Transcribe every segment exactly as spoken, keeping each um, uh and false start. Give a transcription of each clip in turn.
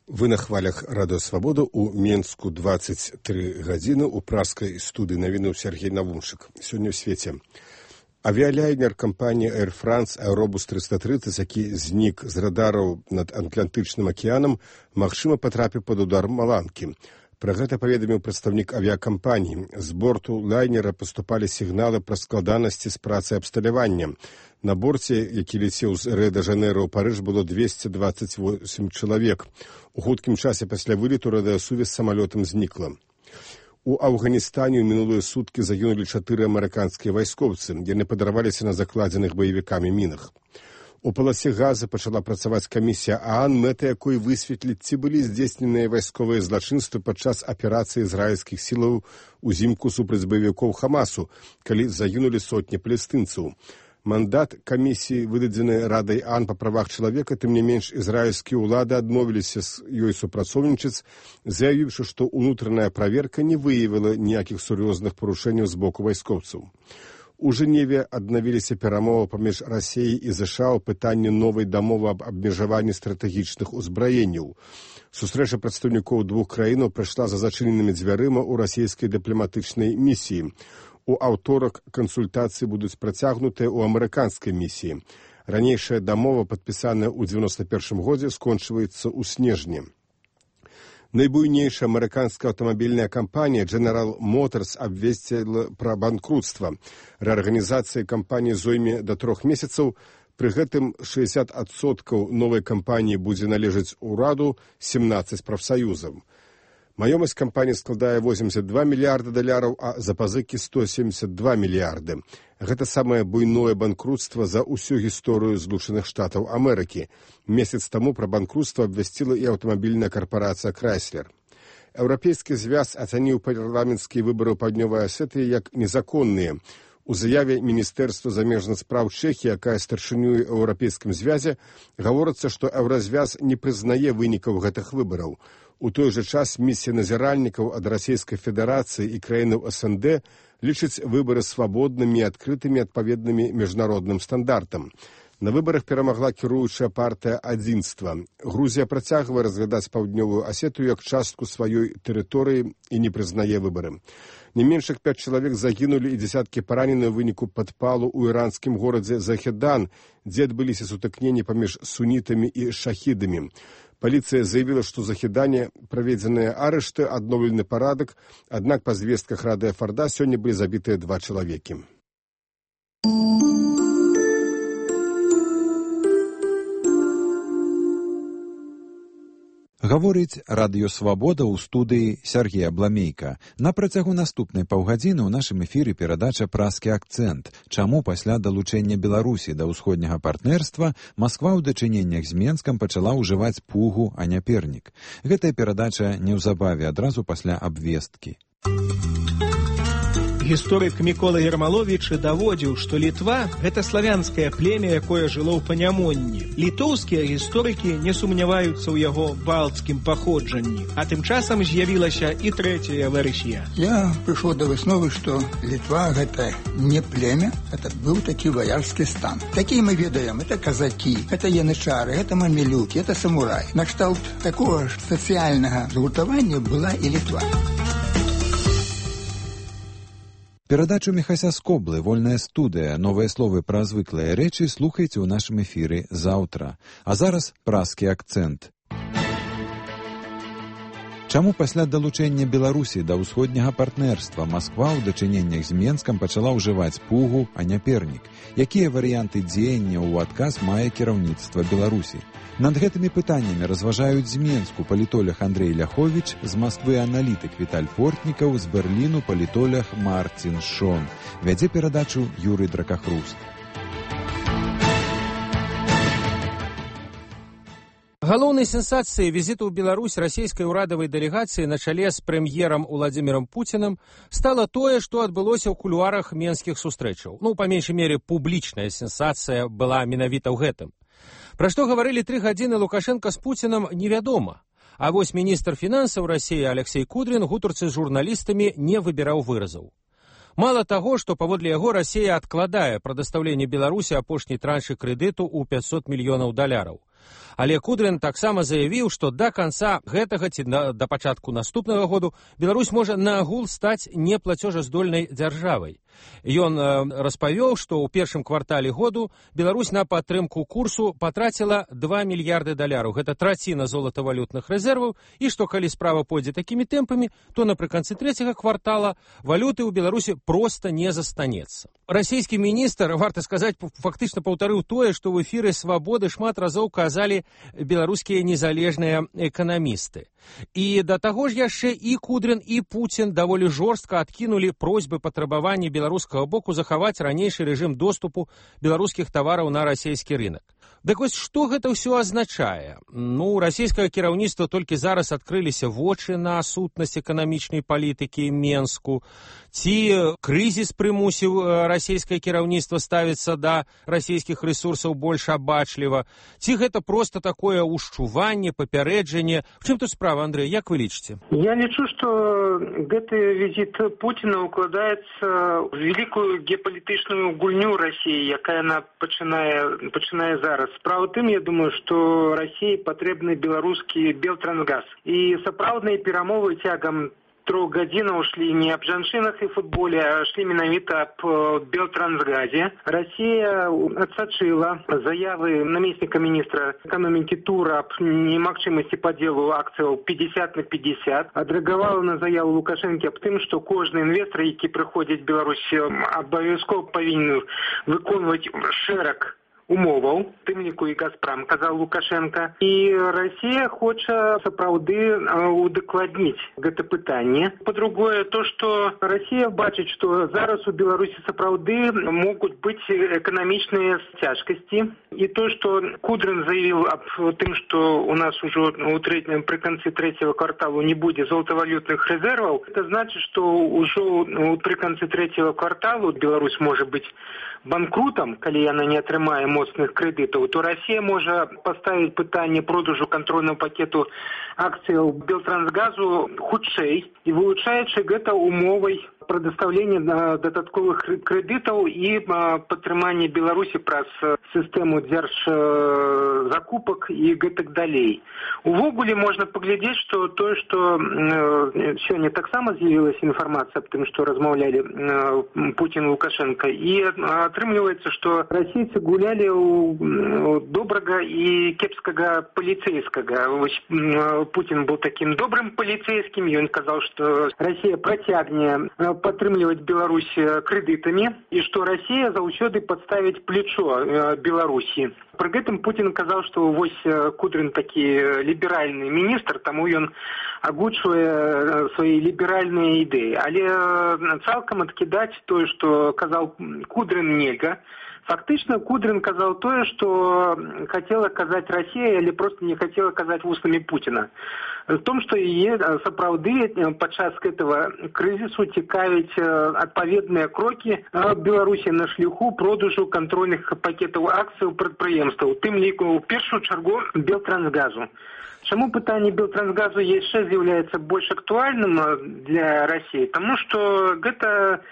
Вы на хвалях Радио Свобода. У Менску двадцать три гадзіны. У праскай студыі навінуў Сергей Навумчык. Сёння ў свеце. Авіялайнер кампаніі Air France Аэробус триста тридцать, які знік з радараў над Атлантычным акіянам, магчыма патрапіў пад удар маланкі. Пра гэта паведаміў прадстаўнік авіякампаніі. З борту лайнера паступалі сігналы пра складанасці з працай абсталявання. На борце, які лецеў з Рыа-дэ-Жанэйра ў Парыж, было двести двадцать восемь чалавек. У хуткім часе пасля вылету радыёсувязь з самалётам знікла. У Афганістане ў мінулыя суткі загінулі чатыры амерыканскія вайскоўцы. Яны падарваліся на закладзеных баевікамі мінах. У паласе Газа пачала працаваць камісія ААН, мэта якой высветліць, ці былі здзейсненыя вайсковыя злачынствы падчас аперацыі ізраільскіх сілаў узімку супраць баевікоў Хамасу, калі загінулі сотні палестынцаў. Мандат камісіі, выдадзены Радай ААН па правах чалавека, тым не менш ізраільскія ўлады адмовіліся з ёй супрацоўнічаць, заявіўшы, што ўнутраная праверка не выявіла ніякіх сур'ёзных парушэнняў з боку вайскоўцаў. У Жэневе аднавіліся перамовы паміж Расіяй і ЗША ў пытанні новай дамовы аб абмежаванні стратэгічных узбраенняў. Сустрэча прадстаўнікоў двух краінаў прайшла за зачыненымі дзвярыма ў расійскай дыпламатычнай місіі. У аўторак кансультацыі будуць працягнутыя ў амерыканскай місіі. Ранейшая дамова, падпісаная ў дзевяносто першым годзе, скончваецца ў снежні. Найбуйнейшая амерыканская аўтамабільная кампанія General Motors абвесціла пра банкрутства. Рэарганізацыя кампаніі зойме да трох месяцаў. Пры гэтым шэсцьдзесят адсоткаў новай кампаніі будзе належаць ураду, семнаццаць прафсаюзам. Маёмасць кампаніі складае восемьдесят два мільярда даляраў, а запазыкі сто семьдесят два мільярды. Гэта самае буйное банкрутства за ўсю гісторыю Злучаных Штатаў Амерыкі. Месяц таму пра банкрутства абвясціла і аўтамабільная карпарацыя Chrysler. Еўрапейскі звяз ацаніў парламенцкія выбары ў Паўднёвай Асетыі як незаконныя. У заяве Міністэрства замежных спраў Чэхіі, якая старшынюе Еўрапейскім звязе, гаворыцца, што Еўразвяз не прызнае вынікаў гэтых выбараў. У той жа час місія назіральнікаў ад Расійскай Федэрацыі і краінаў СНД лічыць выбары свабоднымі і адкрытымі адпаведнымі міжнародным стандартам. На выбарах перамагла кіруючая партыя «Адзінства». Грузія працягвае разглядаць Паўднёвую Асетыю як частку сваёй тэрыторыі і не прызнае выбары. Не менш як пяць чалавек загінулі і дзесяткі паранены ў выніку падпалу ў іранскім горадзе Захедан, дзе адбыліся сутыкненні паміж сунітамі і шахідамі. Паліцыя заявіла, што Захедане праведзеныя арышты, адноўлены парадак, аднак па звестках Радыё Фарда сёння былі забітыя два чалавекі. Гаворыць Радыё Свабода ў студыі Сергея Бламейка. На працягу наступнай паўгадзіны ў нашым эфіры перадача «Праскі акцэнт». Чаму пасля далучэння Беларусі да ўсходняга партнерства Масква ў дачыненнях з Менскам пачала ўжываць пугу, а не пернік. Гэтая перадача неўзабаве адразу пасля абвесткі. Гісторык Мікола Ермаловіч даводзіў, што Літва – гэта славянскае племя, якое жыло ў панямонні. Літоўскія гісторыкі не сумняваюцца ў яго балцкім паходжанні. А тым часам з'явілася і трэцяя версія. Я прыйшоў да высновы, што Літва – гэта не племя, гэта быў такі ваярскі стан. Такія мы ведаем, это казакі, это янычары, это мамілюкі, это самурай. Накшталт такого ж сацыяльнага згуртавання была і Літва. Перадачу Міхася Скоблы «Вольная студыя». Новыя словы пра звыклыя рэчы слухайце ў нашым эфіры заўтра. А зараз праскі акцэнт. Чаму пасля далучэння Беларусі да ўсходняга партнерства Масква ў дачыненнях з Менскам пачала ўжываць пугу, а не пернік? Якія варыянты дзеяння ў адказ мае кіраўніцтва Беларусі? Над гэтымі пытаннямі разважаюць з Менску палітолог Андрэй Ляховіч, з Масквы аналітык Віталь Портнікаў, з Берліну палітолог Марцін Шон. Вядзе перадачу Юрый Дракахруст. Галоўнай сенсацыяй візіту ў Беларусь расійскай урадавай дэлегацыі на чале з прэм'ерам Уладзімірам Пуцінам стала тое, што адбылося ў кулуарах менскіх сустрэчаў. Ну, па меншай мере, публічная сенсацыя была менавіта ў гэтым. Пра што гаварылі тры гадзіны Лукашенка з Пуцінам, невядома. А вось міністр фінансаў Расіі Алексей Кудрін гутарцы з журналістамі не выбіраў выразаў. Мало таго, што паводле яго Расія адкладае прадастаўленне Беларусі апошняй траншы крэдыту ў пяцьсот мільёнаў даляраў. Але Кудрин таксама заявіў, што да канца гэтага ці да пачатку наступнага году Беларусь можа наагул стаць неплацежаздольнай дзяржавай. Ён распавёў, што ў першым квартале году Беларусь на падтрымку курсу патраціла два мільярды даляраў. Гэта траціна золатавалютных рэзерваў, і што калі справа пойдзе такімі тэмпамі, то напрыканцы трэцяга квартала валюты ў Беларусі проста не застанецца. Расійскі міністр, варта сказаць, фактычна паўтарыў тое, што ў эфіры «Свабоды» шмат разоў казалі беларускія незалежныя эканамісты. І да таго ж яшчэ і Кудрин, і Пуцін даволі жорстка адкінулі просьбы патрабаванні беларускага боку захаваць ранейшы рэжым доступу беларускіх тавараў на расійскі рынок. Дык вось што гэта ўсё азначае? Ну, расійскае кіраўніцтва толькі зараз адкрыліся вочы на сутнасць эканамічнай палітыкі Менску. Ці крызіс прымусіў расійскае кіраўніцтва ставіцца да расійскіх рэсурсаў больш абачліва? Ці гэта проста такое ўшчуванне, папярэджанне? В чым тут справа, Андрэй, як вы лічыце? Я лічу, што гэты візіт Пуціна укладаецца в вялікую геапалітычную гульню Расіі, якая яна пачынае, пачынае зараз. Справа тым, я думаю, што Расіі патрэбны беларускі Белтрансгаз. І сапраўдныя перамовы цягам трох гадзінаў шлі не аб жанчынах і футболе, а шлі менавіта аб Белтрансгазе. Расія адсачыла заявы намесніка міністра эканомікі Тура аб немагчымасці падзелу акцыяў пятьдесят на пятьдесят. Адрэагавала на заяву Лукашэнкі аб тым, што кожны інвестар, які прыходзіць в Беларусь, абавязкова павінен выконваць шэраг умоваў, тым ліку і Газпром, казаў Лукашенко. І Расія хоча сапраўды удакладніць гэта пытанне. Па-другое, то, што Расія бачыць, што зараз у Беларусі сапраўды могуць быць эканамічныя цяжкасці. І то, што Кудрин заявіў аб тым, што у нас ужо у трэцім, пры канцы трэцяга кварталу не будзе золатавалютных рэзерваў, это значыць, што ўжо пры канцы трэцяга кварталу Беларусь можа быць банкрутам, калі яна не атрымае моцных крэдытаў, то Расія можа паставіць пытанне продажу кантрольнага пакету акцыяў Белтрансгазу хутчэй і вылучаючы гэта умовай прадастаўлення дадатковых крэдытаў і падтрымання Беларусі праз сістэму дзяржзакупак і гэтак далей. Увогуле можна паглядзець, што тое, што сёння таксама з'явілася інфармацыя аб тым, што размаўлялі Пуцін і Лукашенко, і атрымліваецца, што расійцы гулялі ў добрага і кепскага паліцэйскага. Пуцін быў такім добрым паліцэйскім, ён казаў, што Расія працягне падтрымліваць Беларусь крэдытамі і што Расія заўсёды падставіць плечо Беларусі. Пры гэтым Пуцін казаў, што вось Кудрин такі ліберальны міністр, таму ён агучвае свае ліберальныя ідэі. Але цалкам адкідаць тое, што казаў Кудрин, нельга. Фактычна Кудрин казаў тое, што хацела казаць Расія, але проста не хацела казаць вуснамі Пуціна. В том, што яе сапраўды падчас гэтага крызісу цікавяць адпаведныя крокі Беларусі на шляху продажу кантрольных пакетаў акцыяў прадпрыемстваў, тым ліку ў першую чаргу Белтрансгазу. Чаму пытанне Белтрансгазу яшчэ з'яўляецца больш актуальным для Расіі? Таму што гэта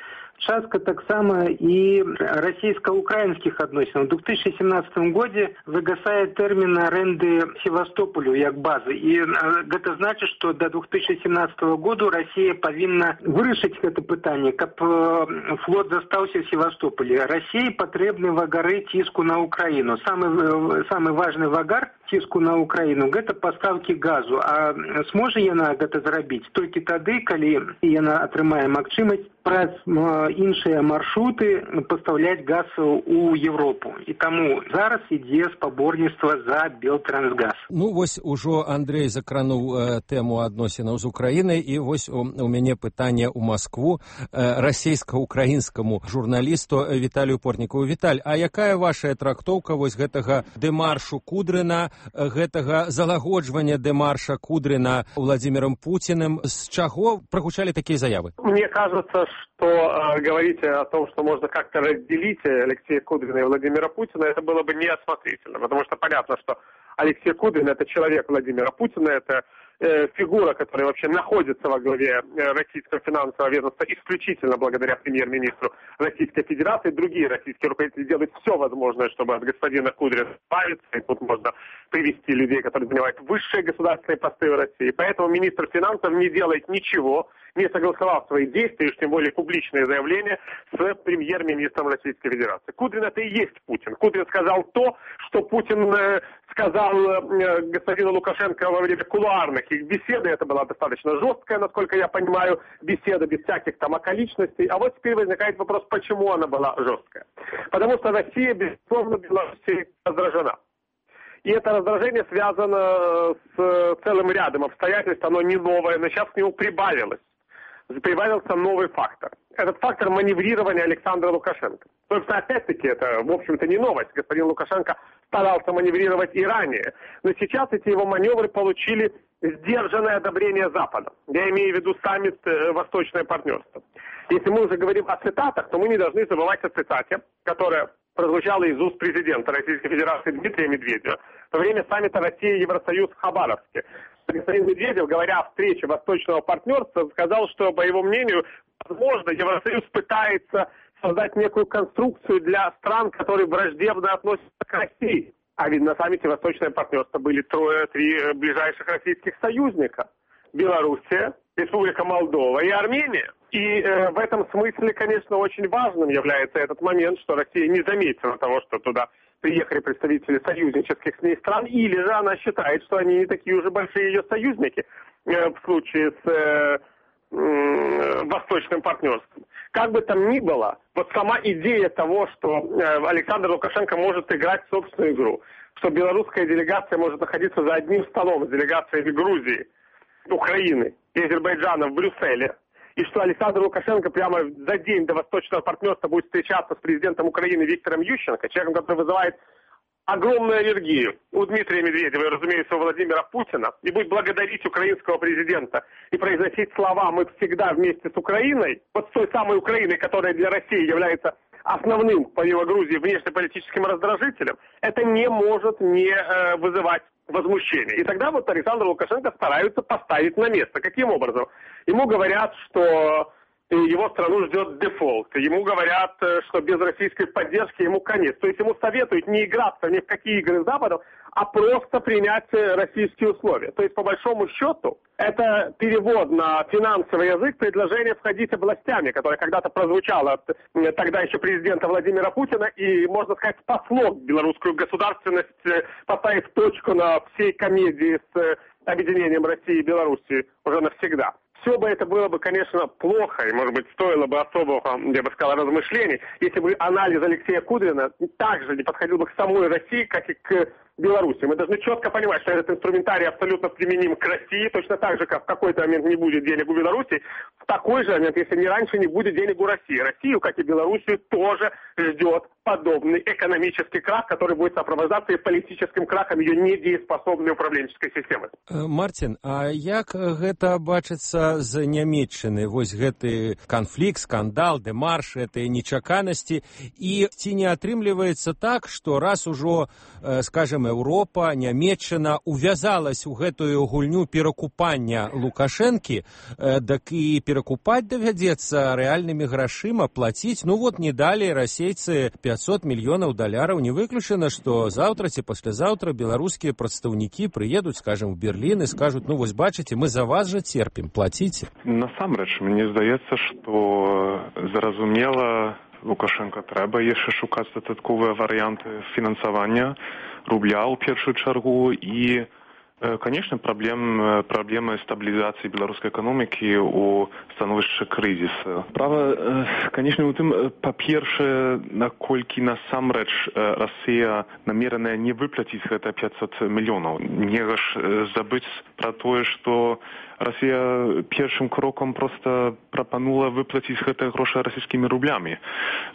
частка таксама і расійска-украінскіх адносінаў. У две тысячи семнадцатым годзе загасае тэрмін арэнды Севастополю як базы. І гэта значыць, што да две тысячи семнадцатого году Расія павінна вырашыць гэта пытанне, каб флот застаўся в Севастополі. Расіі патрэбны вагары ціску на Украіну. Самы, самы важны вагар ціску на Украіну – гэта пастаўкі газу. А зможа яна гэта зрабіць толькі тады, калі яна атрымае магчымасць праз іншыя маршруты пастаўляць газ у Европу. І таму зараз ідзе спаборніцтва за Белтрансгаз. Ну, вось ужо Андрэй закрануў э, тэму адносінаў з Украінай, і вось у, у мяне пытанне ў Маскву э, расійска-украінскаму журналісту Віталію Портнікову. Віталь, а якая ваша трактоўка вось гэтага дэмаршу Кудрина, гэтага залагоджвання дэмарша Кудрина Владимиром Путиным? З чаго прагучалі такія заявы? Мне кажется, что э, говорить о том, что можно как-то разделить Алексея Кудрина и Владимира Путина, это было бы неосмотрительно, потому что понятно, что Алексей Кудрин – это человек Владимира Путина, это э, фигура, которая вообще находится во главе э, российского финансового ведомства исключительно благодаря премьер-министру Российской Федерации. Другие российские руководители делают все возможное, чтобы от господина Кудрина избавиться. И тут можно привести людей, которые занимают высшие государственные посты в России. Поэтому министр финансов не делает ничего, не согласовав свои действия, уж тем более публичные заявления с премьер-министром Российской Федерации. Кудрин — это и есть Путин. Кудрин сказал то, что Путин э, сказал э, господину Лукашенко во время кулуарных их беседы. Это была достаточно жесткая, насколько я понимаю, беседа без всяких там околичностей. А вот теперь возникает вопрос, почему она была жесткая. Потому что Россия, безусловно, Белоруссией раздражена. И это раздражение связано с целым рядом обстоятельств, оно не новое, но сейчас к нему прибавилось. Прибавился новый фактор. Этот фактор маневрирования Александра Лукашенко. Собственно, опять-таки, это, в общем-то, не новость. Господин Лукашенко старался маневрировать и ранее. Но сейчас эти его маневры получили сдержанное одобрение Запада. Я имею в виду саммит «Восточное партнерство». Если мы уже говорим о цитатах, то мы не должны забывать о цитате, которая прозвучала из уст президента Российской Федерации Дмитрия Медведева во время саммита Россия-Евросоюз в Хабаровске. Господин Медведев, говоря о встрече Восточного партнерства, сказал, что, по его мнению, возможно, Евросоюз пытается создать некую конструкцию для стран, которые враждебно относятся к России. А ведь на саммите Восточное партнерство были трое-три ближайших российских союзника. Белоруссия, Республика Молдова и Армения. И э, в этом смысле, конечно, очень важным является этот момент, что Россия не заметила того, что туда приехали представители союзнических с ней стран, или же она считает, что они не такие уже большие ее союзники э, в случае с э, э, Восточным партнерством. Как бы там ни было, вот сама идея того, что э, Александр Лукашенко может играть собственную игру, что белорусская делегация может находиться за одним столом с делегациями Грузии, Украины и Азербайджана в Брюсселе, и что Александр Лукашенко прямо за день до Восточного партнерства будет встречаться с президентом Украины Виктором Ющенко, человеком, который вызывает огромную аллергию у Дмитрия Медведева и, разумеется, у Владимира Путина, и будет благодарить украинского президента и произносить слова «мы всегда вместе с Украиной», вот с той самой Украиной, которая для России является основным, помимо Грузии, внешнеполитическим раздражителем, это не может не э, вызывать возмущение. И тогда вот Александр Лукашенко стараются поставить на место. Каким образом? Ему говорят, что его страну ждет дефолт. Ему говорят, что без российской поддержки ему конец. То есть ему советуют не играться ни в какие игры с Западом, а просто принять российские условия. То есть, по большому счету, это перевод на финансовый язык предложение входить областями, которое когда-то прозвучало от тогда еще президента Владимира Путина, и, можно сказать, спасло белорусскую государственность, поставив точку на всей комедии с объединением России и Белоруссии уже навсегда. Все бы это было бы, конечно, плохо, и, может быть, стоило бы особого, я бы сказал, размышлений, если бы анализ Алексея Кудрина также не подходил бы к самой России, как и к Беларуси. Мы должны четко понимать, что этот инструментарий абсолютно применим к России, точно так же, как в какой-то момент не будет денег у Беларуси, в такой же момент, если не раньше, не будет денег у России. Россию, как и Белоруссию, тоже ждет подобный экономический крах, который будет сопровождаться и политическим крахом ее недееспособной управленческой системы. Мартин, а як гэта бачыцца з Нямецчыны? Вось гэты канфлікт, скандал, дэмарш, гэтыя нечаканасці, і ці не атрымліваецца так, што раз ужо, скажем, Еўропа, Нямецчына увязалась у гэтую гульню перакупання Лукашэнкі, дак і перакупаць давядзецца рэальнымі грашыма, плаціць. Ну вот не далі расейцы пятьсот мільёнаў даляраў. Не выключана, што заўтра ці паслязаўтра беларускія прадстаўнікі прыедуць, скажем, в Берлін і скажуць, ну вось бачыце, мы за вас жа церпім, плаціце. Насамрэч, мне здаецца, што зразумела Лукашенко трэба яшчэ шукаць дадатковыя варыянты фінансавання рубля ў першую чаргу і, конечно, праблем, праблемы стабілізацыі беларускай эканомікі ў становішчы крызіса. Права, конечно, у тым, па-першае, наколькі насамрэч Расія намераная не выплаціць гэта пятьсот мільёнаў. Нельга ж забыць пра тое, што Расія першым крокам проста прапанула выплаціць гэтыя грошы расійскімі рублямі.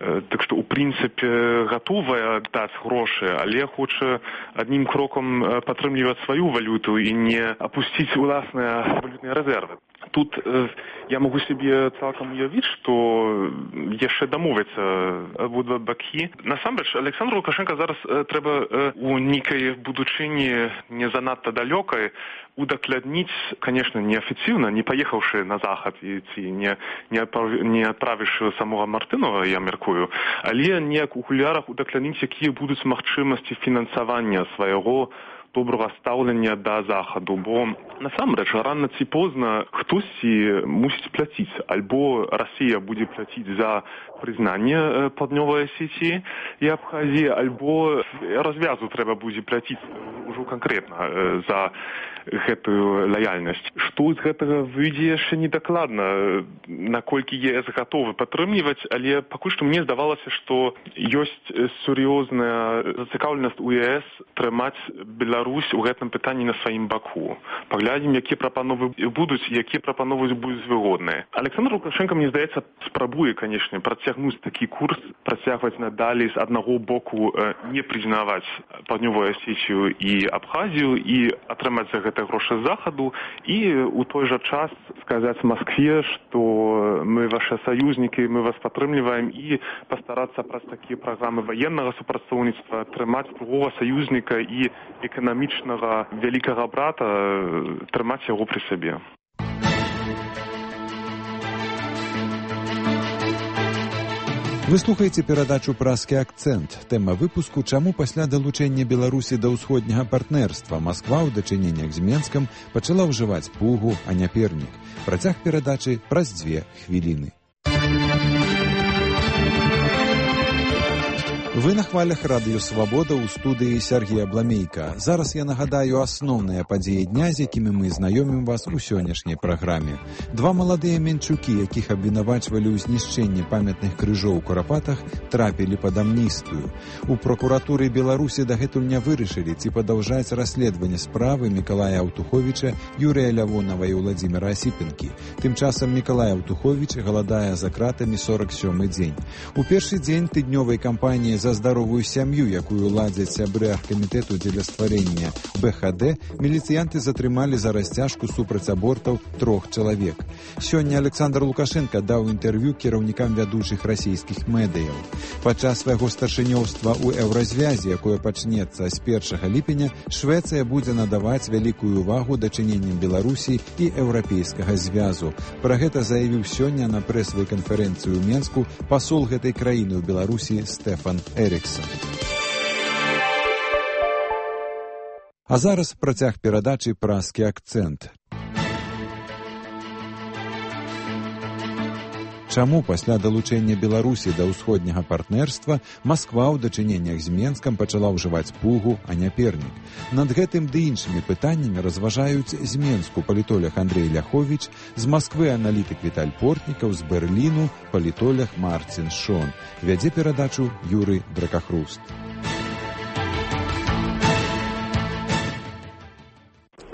Так што, у прынцыпе, гатовая даць грошы, але хоча аднім крокам падтрымліваць сваю валюту і не апусціць уласныя валютныя рэзервы. тут э, я могу себе цалкам уявіць, што яшчэ дамовяцца абодва бакі. Насамрэч, Александру Лукашенко зараз э, трэба э, у нейкай будучыні не занадта далёкай удакладніць, конечно, неафіцыйна, не паехаўшы на захад і ці не, не, не адправіўшы самога Мартынова, я мяркую, але неяк у кулярах удакладніць, якія будуць магчымасці фінансавання свайго добрага стаўлення да захаду, бо насамрэч рана ці позна хтосьці мусіць плаціць, альбо Расія будзе плаціць за прызнанне паўднёвай Асетіі і Абхазіі, альбо развязу трэба будзе плаціць ужо канкрэтна за гэтую лаяльнасць. Што з гэтага выйдзе яшчэ недакладна, наколькі ЕС гатовы падтрымліваць, але пакуль што мне здавалася, што ёсць сур'ёзная зацікаўленасць у ЕС трымаць Беларусь у гэтым пытанні на сваім баку. Паглядзім, якія прапановы будуць, якія прапановы будуць выгодныя. Александр Лукашенко, мне здаецца, спрабуе, канешне, працягнуць такі курс, працягваць надалей з аднаго боку не прызнаваць паўднёвую Асетію і Абхазію і атрымаць за гэта грошы з захаду і у той жа час сказаць Маскве, што мы ваши саюзнікі, мы вас падтрымліваем і пастарацца праз такія праграмы ваеннага супрацоўніцтва трымаць другога саюзніка і эканамічнага вялікага брата, трымаць яго пры сабе. Вы слухаеце перадачу «Празкі акцэнт». Тэма выпуску «Чаму пасля далучэння Беларусі да ўсходняга партнерства Масква ў дачыненнях з Менскам пачала ўжываць пугу, а не пернік». Працяг перадачы праз дзве хвіліны. Вы на хвалях радыё «Свабода» ў студыі Сергія Бламейка. Зараз я нагадаю асноўныя падзеі дня, з якімі мы знаёмім вас у сённяшняй праграме. Два маладыя менчукі, якіх абвінавачвалі ў знішчэнні памятных крыжоў у Курапатах, трапілі пад амністыю. У пракуратуры Беларусі дагэтуль не вырашылі, ці падаўжаць расследаванне справы Мікалая Аўтуховіча, Юрыя Лявонава і Владзіміра Асіпенкі. Тым часам Мікалай Аўтуховіч галадае за кратамі сорак сёмы дзень. У першы дзень тыднёвай кампаніі за здаровую сям'ю, якую ладзяць сябры аргкамітэту дзеля стварэння бэ ха дэ, міліцыянты затрымалі за расцяжку супраць абортаў трох чалавек. Сёння Александр Лукашенко даў інтэрв'ю кіраўнікам вядучых расійскіх медыяў. Падчас свайго старшынёўства ў еўразвязе, якое пачнецца з першага ліпеня, Швецыя будзе надаваць вялікую увагу дачыненням Беларусі і еўрапейскага звязу. Пра гэта заявіў сёння на прэсавай канферэнцыі ў Менску пасол гэтай краіны ў Беларусі Стэфан Эріксон. А зараз працяг перадачы «Празкі акцэнт». Чаму пасля далучэння Беларусі да ўсходняга партнерства Масква ў дачыненнях з Менскам пачала ўжываць пугу, а не пернік? Над гэтым ды іншымі пытаннямі разважаюць з Менску палітолог Андрей Ляховіч, з Масквы аналітык Віталь Портнікаў, з Берліну палітолог Марцін Шон. Вядзе перадачу Юрый Дракахруст.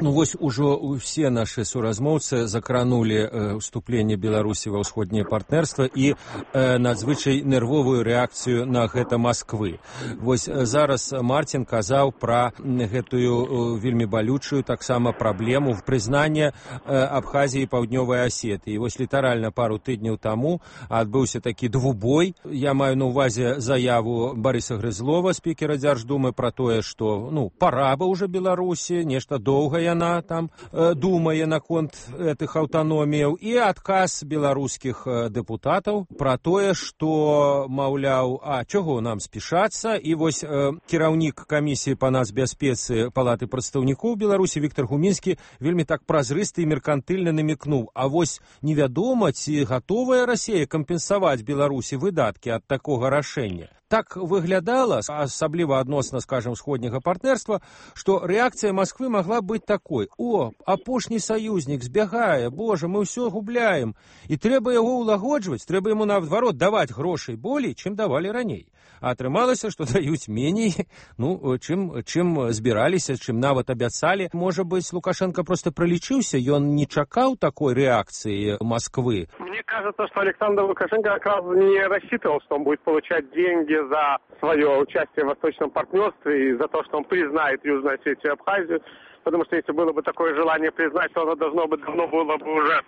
Ну вось ужо ўсе нашы суразмоўцы закранулі э, ўступленне Беларусі ва ўсходняе партнерства і э, надзвычай нервовую рэакцыю на гэта Масквы. Вось э, зараз Марцін казаў пра гэтую э, вельмі балючую таксама праблему в прызнання э, Абхазіі і Паўднёвай Асетыі. Вось літаральна пару тыдняў таму адбыўся такі двубой. Я маю на ўвазе заяву Барыса Грызлова, спікера Дзярждумы, пра тое, што ну пара бы ўжо Беларусі, нешта доўгае она там э, думае наконт этих аўтаноміяў, і адказ беларускіх э, дэпутатаў пра тое, што, маўляў, а чаго нам спешацца, і вось э, кіраўнік камісіі па нацбяспецы Палаты прадстаўнікоў Беларусі Віктор Гумінскі вельмі так празрыста і меркантыльна намекнуў, а вось невядома, ці гатовая Расія кампенсаваць Беларусі выдаткі ад такога рашэння. Так выглядала, асабліва адносна, скажем, сходняга партнерства, што рэакцыя Масквы магла быць такой: о, апошні саюзнік збягае, божа, мы ўсё губляем, і трэба яго ўлагоджваць, трэба яму наадварот даваць грошай болей, чым давалі раней. А атрымалася, што даюць меней, ну, чым, чым збіраліся, чым нават абяцалі. Можа быць, Лукашенко просто пролічыўся, ён не чакаў такой рэакцыі Москвы. Мне кажется, что Александр Лукашенко как раз не рассчитывал, что он будет получать деньги за свое участие в Восточном партнерстве и за то, что он признает Южную Осетию и Абхазию, потому что если было бы такое желание признать, то оно должно бы давно было бы уже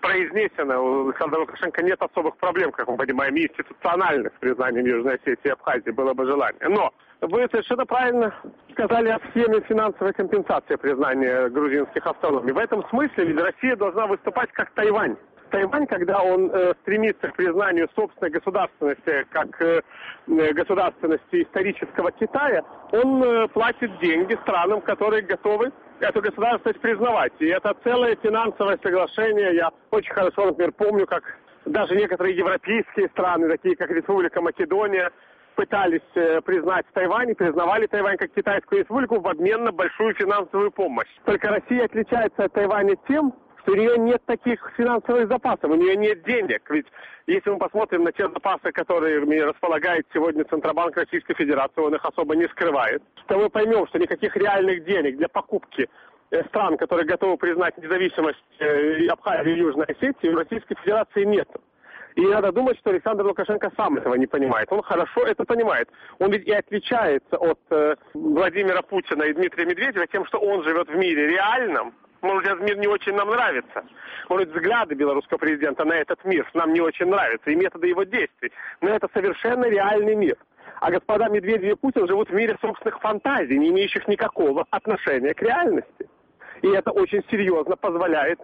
произнесено. У Александра Лукашенко нет особых проблем, как мы понимаем, институциональных с признанием Южной Осетии и Абхазии, было бы желание. Но вы совершенно правильно сказали о схеме финансовой компенсации признания грузинских автономий. В этом смысле ведь Россия должна выступать как Тайвань. Тайвань, когда он э, стремится к признанию собственной государственности, как э, государственности исторического Китая, он э, платит деньги странам, которые готовы эту государственность признавать. И это целое финансовое соглашение. Я очень хорошо, например, помню, как даже некоторые европейские страны, такие как Республика Македония, пытались э, признать Тайвань и признавали Тайвань как китайскую республику в обмен на большую финансовую помощь. Только Россия отличается от Тайваня тем, что у нее нет таких финансовых запасов, у нее нет денег. Ведь если мы посмотрим на те запасы, которыми располагает сегодня Центробанк Российской Федерации, он их особо не скрывает, то мы поймем, что никаких реальных денег для покупки стран, которые готовы признать независимость Абхазии и Южной Осетии, у Российской Федерации нет. И надо думать, что Александр Лукашенко сам этого не понимает. Он хорошо это понимает. Он ведь и отличается от э, Владимира Путина и Дмитрия Медведева тем, что он живет в мире реальном. Может, этот мир не очень нам нравится. Может, взгляды белорусского президента на этот мир нам не очень нравятся, и методы его действий. Но это совершенно реальный мир. А господа Медведев и Путин живут в мире собственных фантазий, не имеющих никакого отношения к реальности. И это очень серьезно позволяет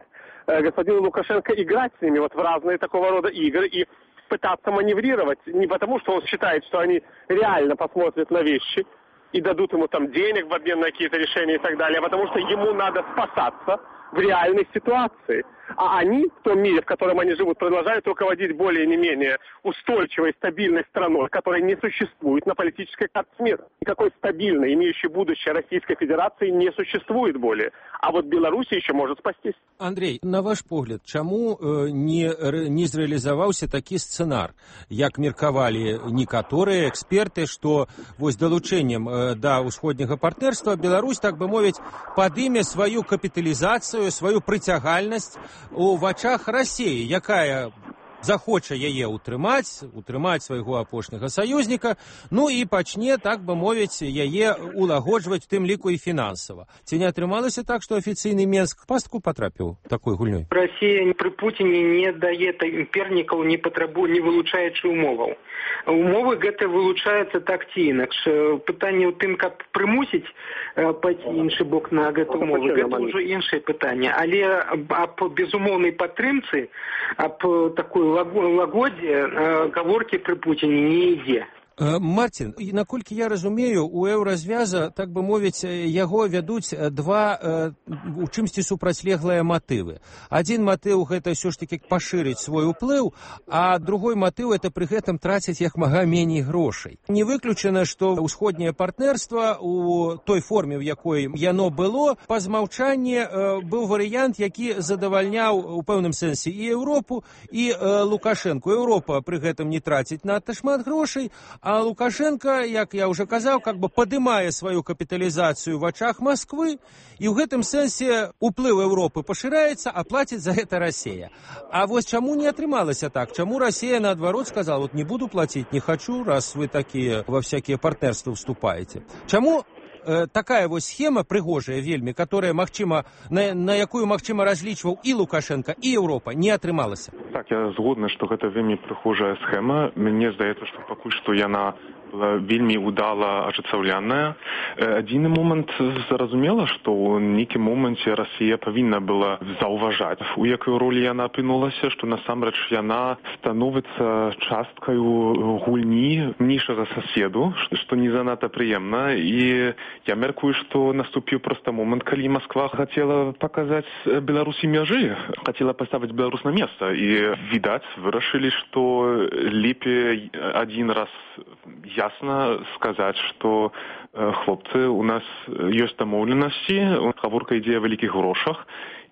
э, господину Лукашенко играть с ними вот в разные такого рода игры и пытаться маневрировать. Не потому, что он считает, что они реально посмотрят на вещи и дадут ему там денег в обмен на какие-то решения и так далее, а потому что ему надо спасаться в реальной ситуации. А они в том мире, в котором они живут, продолжают руководить более не менее устойчивой, стабильной страной, которая не существует на политической карте мира. Никакой стабильной, имеющей будущее Российской Федерации не существует более. А вот Беларусь еще может спастись. Андрей, на ваш погляд, чаму э, не, не зреалізаваўся такі сцэнар, як меркавалі некаторыя эксперты, што вось далучэннем э, да ўсходняга партнерства Беларусь, так бы мовіць, падыме сваю капіталізацыю, сваю прыцягальнасць у вачах России, якая захоча яе утрымаць, утрымаць свайго апошняга саюзніка, ну і пачне, так бы мовіць, яе улагоджваць, в тым ліку і фінансава. Ці не атрымалася так, што афіцыйны Менск пастку патрапіў такой гульнёй? Россия при Путине не дае пернікаў, не патрабуе, не вылучаючы умоваў. Умовы гэта вылучаюцца так ці інакш. Пытанне ў тым, каб прымусіць пайці іншы бок на гэту умову, гэта ўжо іншае пытанне. Але аб безумоўнай падтрымцы, аб такой лагодзе гаворкі пры Путине не ідзе. Марцін, наколькі я разумею, у еўразвяза, так бы мовіць, яго вядуць два у чымсьці супрацьлеглыя матывы. Адзін матыў гэта ўсё ж такі пашырыць свой уплыў, а другой матыў это пры гэтым траціць як мага меней грошай. Не выключана, што ўсходняе партнерства у той форме, в якой яно было, па змаўчанні быў варыянт, які задавальняў у пэўным сэнсе і Еўропу, і Лукашэнку. Еўропа пры гэтым не траціць надта шмат грошай, а Лукашенко, як я уже казаў, как бы падымае сваю капіталізацыю в очах Москвы, і ў гэтым сэнсе уплыў Еўропы пашыраецца, а плаціць за гэта Россия. А вось чаму не атрымалася так? Чаму Россия, наадварот, сказала, вот не буду платить, не хочу, раз вы такие во всякие партнерства вступаете? Чаму э, такая вось схема прыгожая вельмі, которая, магчыма, на, на якую, магчыма, разлічваў і Лукашенко, і Еўропа, не атрымалася? Так, я згодны, што гэта вельмі прыгожая схема. Мне здаецца, што пакуль што яна была вельмі удала ажыццяўляная. Адзіны момант зразумела, што ў нейкім моменце Расія павінна была заўважаць, у якой ролі яна апынулася, што насамрэч яна становіцца часткаю гульні іншага соседу, што не занадта прыемна. І я мяркую, што наступіў проста момант, калі Москва хацела паказаць Беларусі мяжы, хацела паставіць Беларусь на месца. І, відаць, вырашылі, што лепей адзін раз ясно сказаць, што э, хлопцы, у нас ёсць дамоўленасці, гаворка ідзе о вялікіх грошах,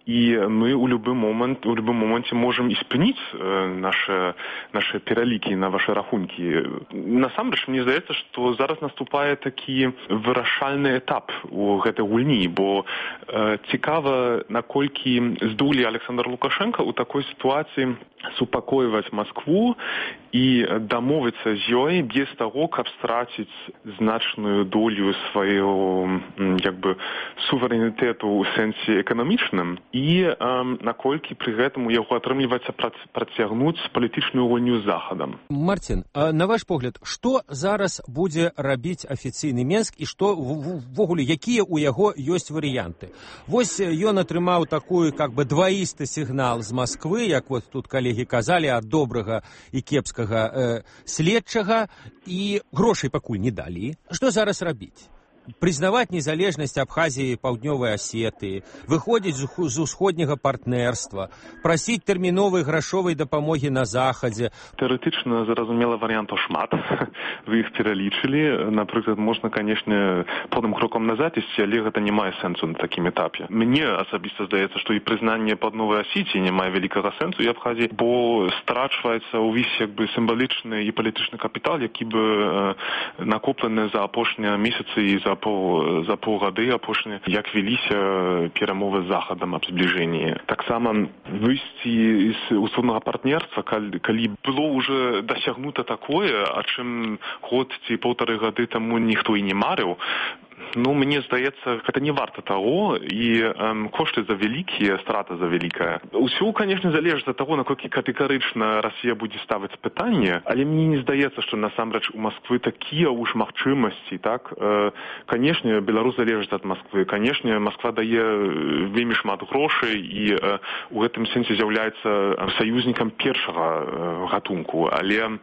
і мы ў любы момант, у любым моменце можам і спыніць э, нашы, нашы пералікі на ваши рахункі. Насамрэч, мне здаецца, што зараз наступае такі вырашальны этап у гэтай гульні, бо э, цікава, наколькі здолее Александр Лукашенко у такой сітуацыі супакойваць Маскву і дамовіцца з ёй без таго, каб страціць значную долю свайго як бы суверэнітэту ў сэнсе эканамічным і эм, наколькі пры гэтым у яго атрымліваецца працягнуць палітычную гульню з Захадам. Марцін, на ваш погляд, што зараз будзе рабіць афіцыйны Менск і што ввогуле, якія ў яго ёсць варыянты? Вось ён атрымаў такую как бы дваісты сігнал з Масквы, як вот тут калегі казалі, ад добрага і кепскага э, следчага, і грошай пакуль не далі. Што зараз рабіць? Прызнаваць незалежнасць Абхазіі, Паўднёвай Асетыі, выходзіць з усходняга партнерства, прасіць тэрміновай грашовай дапамогі на Захадзе. Тэарэтычна, зразумела, варыянтаў шмат. Вы іх пералічылі. Напрыклад, можна, канешне, поўным крокам назад ісці, але гэта не мае сэнсу на такім этапе. Мне асабіста здаецца, што і прызнанне Паўднёвай Асеціі не мае вялікага сэнсу і Абхазіі, бо страчваецца ўвесь як бы сімвалічны і палітычны капітал, які бы э, накоплены за апошнія месяцы і за Пол, за паўгады апошні, як веліся перамовы з Захадам аб збліжэнні. Таксама выйсці з усходнага партнерства, калі, калі было ўжо дасягнута такое, а чым год ці паўтары гады таму ніхто і не марыў, ну, мне здаецца, гэта не варта таго, і эм, кошты за вялікія, страта за вялікая. Усё, канешне, залежыць ад таго, наколькі катэгарычна Расія будзе ставіць пытанне, але мне не здаецца, што насамрэч у Масквы такія ўж магчымасці, так? Э, канешне, Беларусь залежыць ад Масквы. Канешне, Масква дае вельмі шмат грошай і э, у гэтым сэнсе з'яўляецца саюзнікам першага э, гатунку, але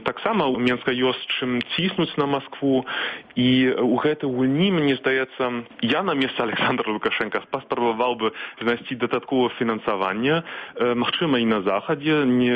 таксама у Менска ёсць чым ціснуць на Маскву, і у гэтай гульні, мне здаецца, я на месцы Александра Лукашенка паспрабаваў бы знайсці дадатковае фінансаванне, э, магчыма, і на Захадзе. Не,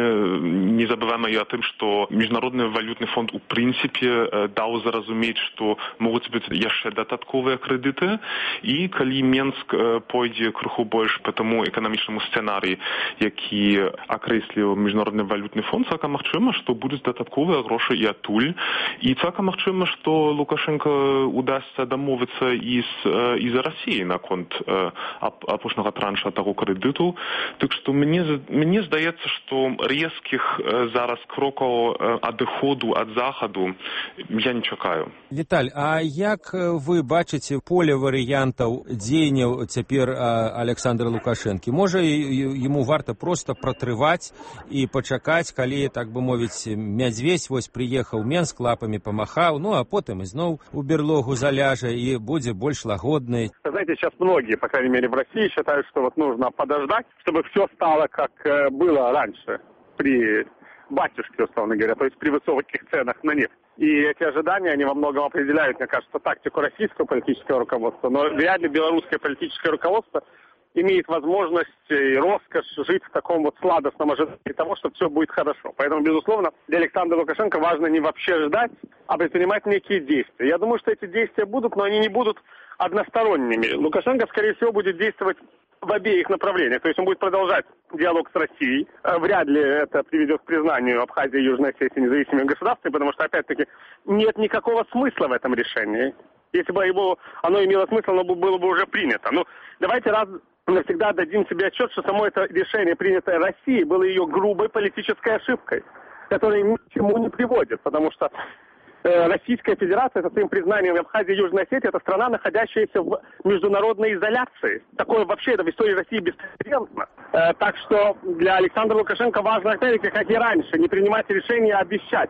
не забываем і о тым, што Міжнародны валютны фонд у прынцыпе э, даў зразумець, што могуць быць яшчэ дадатковыя крэдыты, і калі Менск э, пойдзе крыху больш па таму эканамічнаму сцэнарыі, які акрэсліў Міжнародны валютны фонд, цалкам магчыма, што будуць дадатковыя грошы і адтуль, і цалкам магчыма, што Лукашенко удасся дамовіцца і з, і за Расіяй наконт э, апошняга транша таго крэдыту. Так што мне, мне здаецца, што рэзкіх э, зараз крокаў э, адыходу ад Захаду я не чакаю. Віталь, а як вы бачыце поле варыянтаў дзеянняў цяпер Александра Лукашэнкі? Можа, яму варта проста пратрываць і пачакаць, калі, так бы мовіць, мядзведь вось прыехаў Менск, лапамі памахаў, ну а потым ізноў у берлогу заляжа и будет больше лагодной. Знаете, сейчас многие, по крайней мере в России, считают, что вот нужно подождать, чтобы все стало как было раньше при батюшке, условно говоря, то есть при высоких ценах на нефть. И эти ожидания, они во многом определяют, мне кажется, тактику российского политического руководства, но вряд ли белорусское политическое руководство имеет возможность и роскошь жить в таком вот сладостном ожидании того, что все будет хорошо. Поэтому, безусловно, для Александра Лукашенко важно не вообще ждать, а предпринимать некие действия. Я думаю, что эти действия будут, но они не будут односторонними. Лукашенко, скорее всего, будет действовать в обеих направлениях. То есть он будет продолжать диалог с Россией. Вряд ли это приведет к признанию Абхазии и Южной Осетии независимыми государствами, потому что, опять-таки, нет никакого смысла в этом решении. Если бы его, оно имело смысл, оно было бы уже принято. Ну, давайте раз навсегда дадим себе отчет, что само это решение, принятое Россией, было ее грубой политической ошибкой, которая ни к чему не приводит, потому что э, Российская Федерация, со своим признанием Абхазии и Южной Осетии, это страна, находящаяся в международной изоляции. Такое вообще это в истории России беспрецедентно. Э, так что для Александра Лукашенко важно, опять-таки, как и раньше, не принимать решения, а обещать.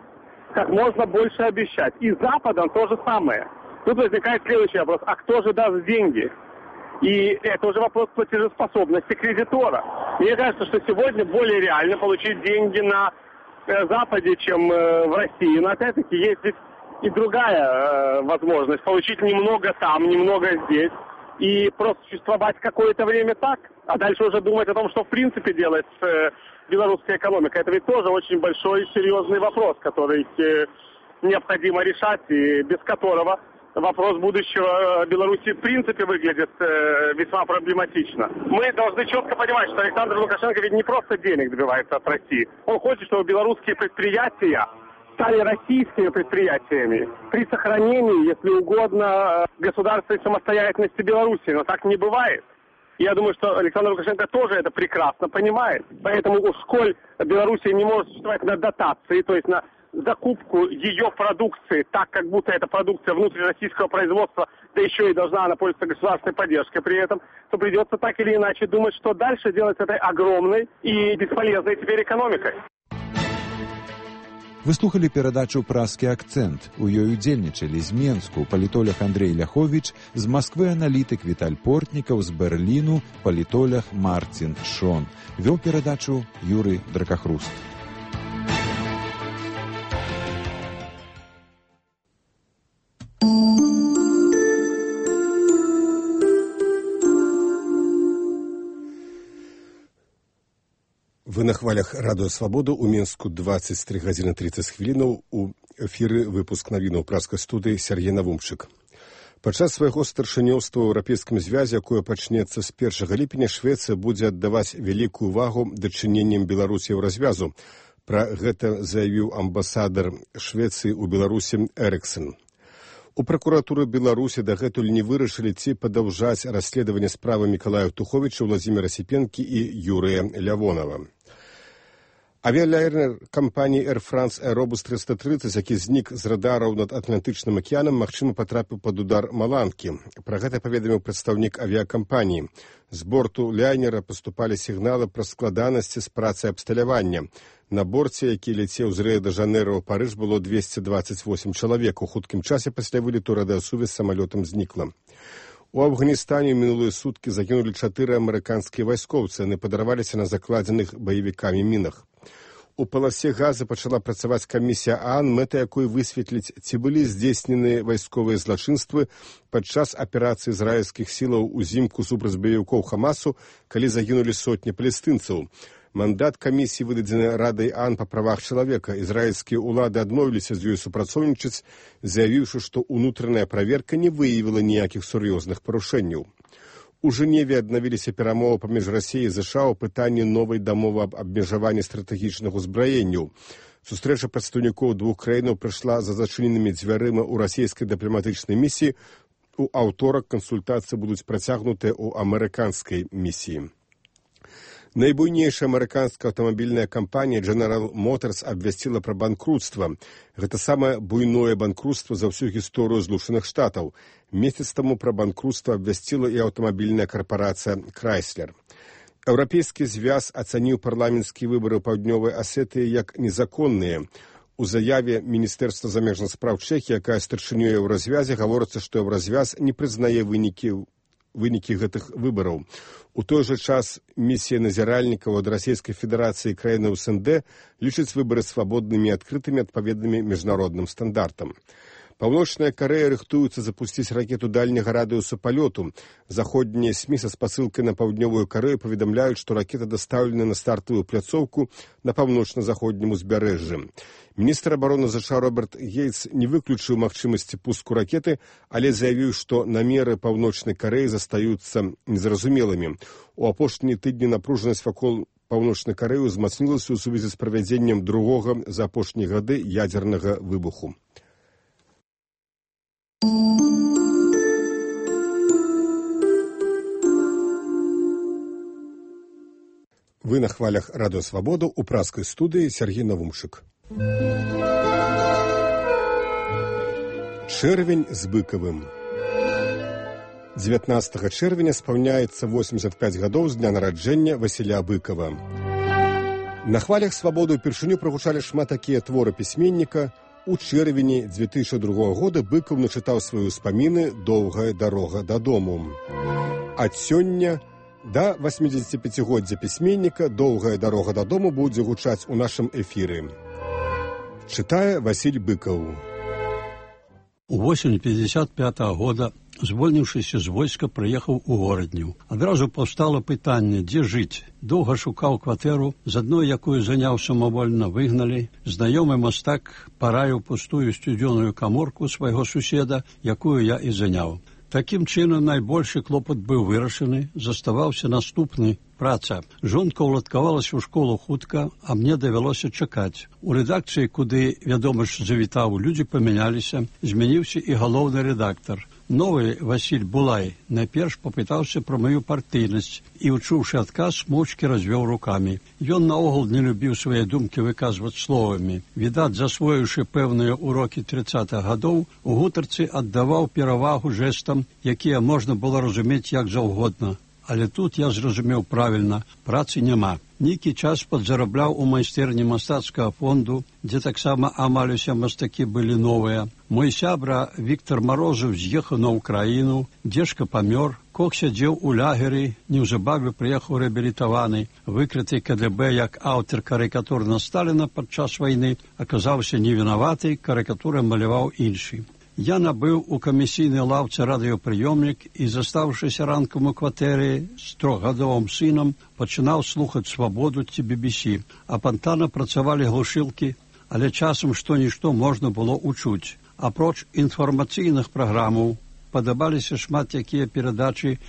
Как можно больше обещать. И Западом то же самое. Тут возникает следующий вопрос. А кто же даст деньги? И это уже вопрос платежеспособности кредитора. Мне кажется, что сегодня более реально получить деньги на э, Западе, чем э, в России. Но опять-таки есть здесь и другая э, возможность. Получить немного там, немного здесь. И просто существовать какое-то время так. А дальше уже думать о том, что в принципе делать с э, белорусской экономикой. Это ведь тоже очень большой и серьезный вопрос, который э, необходимо решать и без которого вопрос будущего Беларуси в принципе выглядит э, весьма проблематично. Мы должны четко понимать, что Александр Лукашенко ведь не просто денег добивается от России. Он хочет, чтобы белорусские предприятия стали российскими предприятиями при сохранении, если угодно, государственной самостоятельности Беларуси. Но так не бывает. Я думаю, что Александр Лукашенко тоже это прекрасно понимает. Поэтому, сколь Белоруссия не может существовать на дотации, то есть на закупку ее продукции, так как будто это продукция внутрироссийского производства, да еще и должна она пользоваться государственной поддержкой при этом, то придется так или иначе думать, что дальше делать с этой огромной и бесполезной теперь экономикой. Вы слухали перадачу «Празкі акцэнт». У ёй удзельнічалі з Менску палітолог Андрей Ляховіч, з Масквы аналітык Віталь Портнікаў, з Берліну палітолог Марцін Шон. Вёў перадачу Юрый Дракахруст. Вы на хвалях радыё «Свабода» у Менску двадцать три гадзіны тридцать хвілінаў. У эфіры выпуск навінаў празкай студыі Сергей Навумчык. Падчас свайго старшынёўства ў еўрапейскім звязе, якое пачнецца з першага ліпеня, Швецыя будзе аддаваць вялікую увагу дачыненням Беларусі ў развязу. Пра гэта заявіў амбасадар Швецыі ў Беларусі Эрыксон. У пракуратуры Беларусі дагэтуль не вырашылі, ці падаўжаць расследаванне справы Мікалая Туховіча, Владзіміра Сіпенкі і Юрыя Лявонава. Авіялайнер кампаніі Air France Aerobus триста тридцать, які знік з радараў над Атлантычным акіянам, магчыма, патрапіў пад удар маланкі. Пра гэта паведаміў прадстаўнік авіякампаніі. З борту лайнера паступалі сігналы пра складанасці з працай абсталявання. На борце, які ляцеў з Рыа-дэ-Жанэйра ў Парыж, было двести двадцать восемь чалавек. У хуткім часе пасля вылету радыасувязь з самалётам знікла. У Афганістане ў мінулыя суткі загінулі чатыры амерыканскія вайскоўцы. Яны падарваліся на закладзеных баевікамі мінах. У паласе Газы пачала працаваць камісія ААН, мэта якой высветліць, ці былі здзейснены вайсковыя злачынствы падчас аперацыі ізраільскіх сілаў узімку супраць баевікоў Хамасу, калі загінулі сотні палестынцаў. Мандат камісіі выдадзены Радай ААН па правах чалавека. Ізраільскія ўлады адмовіліся з ёй супрацоўнічаць, заявіўшы, што ўнутраная праверка не выявіла ніякіх сур'ёзных парушэнняў. У Жэневе аднавіліся перамовы паміж Расіяй і ЗША ў пытанні новай дамовы аб абмежаванні стратэгічных узбраенняў. Сустрэча прадстаўнікоў двух краінаў прайшла за зачыненымі дзвярыма ў расійскай дыпламатычнай місіі. У аўторак кансультацыі будуць працягнутыя ў амерыканскай місіі. Найбуйнейшая амерыканская аўтамабільная кампанія General Motors абвясціла пра банкрутства. Гэта самае буйное банкрутства за ўсю гісторыю Злучаных Штатаў. Месяц таму пра банкрутства абвясціла і аўтамабільная карпарацыя Chrysler. Еўрапейскі звяз ацаніў парламенцкія выбары ў паўднёвай Асетыі як незаконныя. У заяве Міністэрства замежных спраў Чэхіі, якая старшынёй еўразвязе, гаворыцца, што еўразвяз не прызнае вынікі вынікі гэтых выбараў. У той жа час місія назіральнікаў ад Расійскай Федэрацыі і краінаў СНД лічыць выбары свабоднымі і адкрытымі адпаведнымі міжнародным стандартам. Паўночная Карэя рыхтуецца запусціць ракету дальняга радыуса палёту. Заходнія СМІ са спасылкай на паўднёвую Карэю паведамляюць, што ракета дастаўлена на стартавую пляцоўку на паўночна-заходнім узбярэжжы. Міністр абароны ЗША Роберт Гейтс не выключыў магчымасці пуску ракеты, але заявіў, што намеры паўночнай Карэі застаюцца незразумелымі. У апошнія тыдні напружанасць вакол паўночнай Карэі ўзмацнілася ў сувязі з правядзеннем другога за апошнія гады ядзернага выбуху. Вы на хвалях радыё «Свабода» у празкай студыі Сергей Навумчык. Чэрвень з быкавым. дзевятнаццатага чэрвеня спаўняецца восемьдесят пять гадоў з дня нараджэння Васіля Быкава. На хвалях «Свабоды» упершыню прагучалі шмат такія творы пісьменніка. У чэрвені две тысячи другога года Быкаў начытаў свае ўспаміны «Доўгая дарога дадому». Ад сёння да восьмидесятипятигоддзя пісьменніка «Доўгая дарога дадому» будзе гучаць у нашым эфіры. Чытае Васіль Быкаў. У восень пятьдесят пятого года, звольніўшыся з войска, прыехаў у горадню. Адразу паўстала пытанне, дзе жыць. Доўга шукаў кватэру, з адной, якую заняў самавольна, выгналі. Знаёмы мастак параіў пустую сцюдзёную каморку свайго суседа, якую я і заняў. Такім чынам найбольшы клопат быў вырашаны, заставаўся наступны праца. Жонка ўладкавалася ў школу хутка, а мне давялося чакаць. У рэдакцыі, куды вядомасць завітаў, людзі памяняліся, змяніўся і галоўны рэдактар. Новы Васіль Булай найперш папытаўся пра маю партыйнасць і, учуўшы адказ, моўчкі развёў рукамі. Ён наогул не любіў свае думкі выказваць словамі. Відаць, засвоіўшы пэўныя урокі трыццатых гадоў, у гутарцы аддаваў перавагу жэстам, якія можна было разумець як заўгодна. Але тут я зразумеў правільна, працы няма. Нейкі час падзарабляў у майстэрні мастацкага фонду, дзе таксама амаль усе мастакі былі новыя. Мой сябра Віктор Марозаў з'ехаў на Ўкраіну, дзежка памёр, Кок сядзеў у лагеры, неўзабаве прыехаў рэабілітаваны, выкрыты ка дэ бэ як аўтар карыкатур на Сталіна падчас вайны, аказаўся невінаваты, карыкатуры маляваў іншы. Я набыў у камісійнай лаўцы радыёпрыёмнік і, застаўшыся ранкам у кватэры з трохгадовым сынам, пачынаў слухаць «Свабоду» ці би би сі. Апантана працавалі глушылкі, але часам што-нішто можна было ўчуць. Апроч інфармацыйных праграмаў падабаліся шмат якія перадачы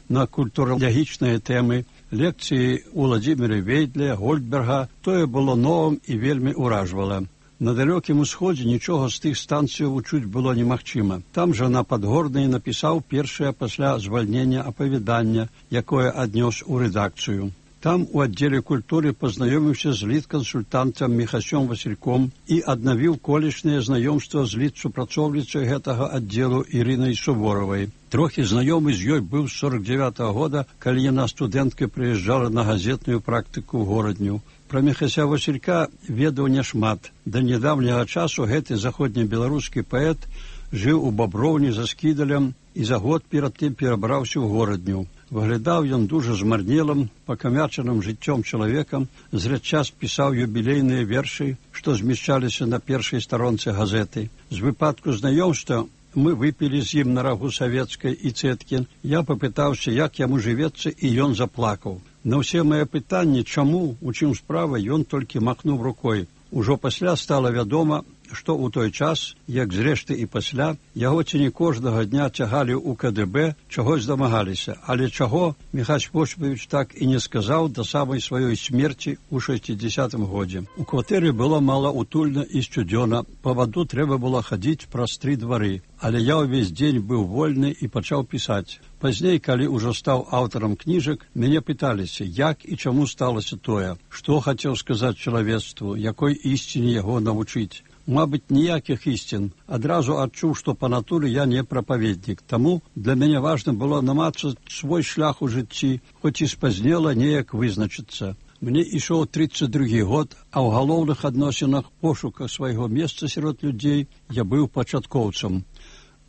на культуралагічныя тэмы, лекцыі Уладзіміра Вейдля, Гольдберга. Тое было новым і вельмі ўражвала. На далёкім усходзе нічога з тых станцыяў учуць было немагчыма. Там жа на Падгорнай напісаў першае пасля звальнення апавяданне, якое аднёс у рэдакцыю. Там у аддзеле культуры пазнаёміўся з літ-кансультантам Міхасём Васільком і аднавіў колішняе знаёмства з літ-супрацоўніцай гэтага аддзелу Ірынай Суворавай. Трохі знаёмы з ёй быў з сорак дзявятага года, калі яна студэнткай прыязджала на газетную практыку ў горадню. Пра Міхася Васілька ведаў няшмат. Да нядаўняга часу гэты заходнебеларускі паэт жыў у Баброўні за Скідалем і за год перад тым перабраўся ў горадню. Выглядаў ён дужа змарнелым, пакамячаным жыццём чалавекам, зрэдчас пісаў юбілейныя вершы, што змяшчаліся на першай старонцы газеты. З выпадку знаёмства мы выпілі з ім на рагу савецкай і цэткін. Я папытаўся, як яму жывецца, і ён заплакаў. На ўсе мае пытанні, чаму, у чым справа, ён толькі махнуў рукой. Ужо пасля стала вядома, што ў той час, як зрэшты і пасля, яго ці не кожнага дня цягалі ў ка дэ бэ, чагось дамагаліся. Але чаго Міхась Восіпавіч так і не сказаў да самай сваёй смерці ў шэсцідзесятым годзе. У кватэры было мала утульна і сцюдзёна, па ваду трэба было хадзіць праз тры двары. Але я ўвесь дзень быў вольны і пачаў пісаць. Пазней, калі ўжо стаў аўтарам кніжак, мяне пыталіся, як і чаму сталася тое, што хацеў сказаць чалавецтву, якой ісціне яго навучыць. Мабыць, ніякіх ісцін. Адразу адчуў, што па натуры я не прапаведнік. Таму для мяне важна было намацаць свой шлях у жыцці, хоць і спазнела неяк вызначыцца. Мне ішоў трыццаць другі год, а ў галоўных адносінах пошука свайго месца сярод людзей я быў пачаткоўцам.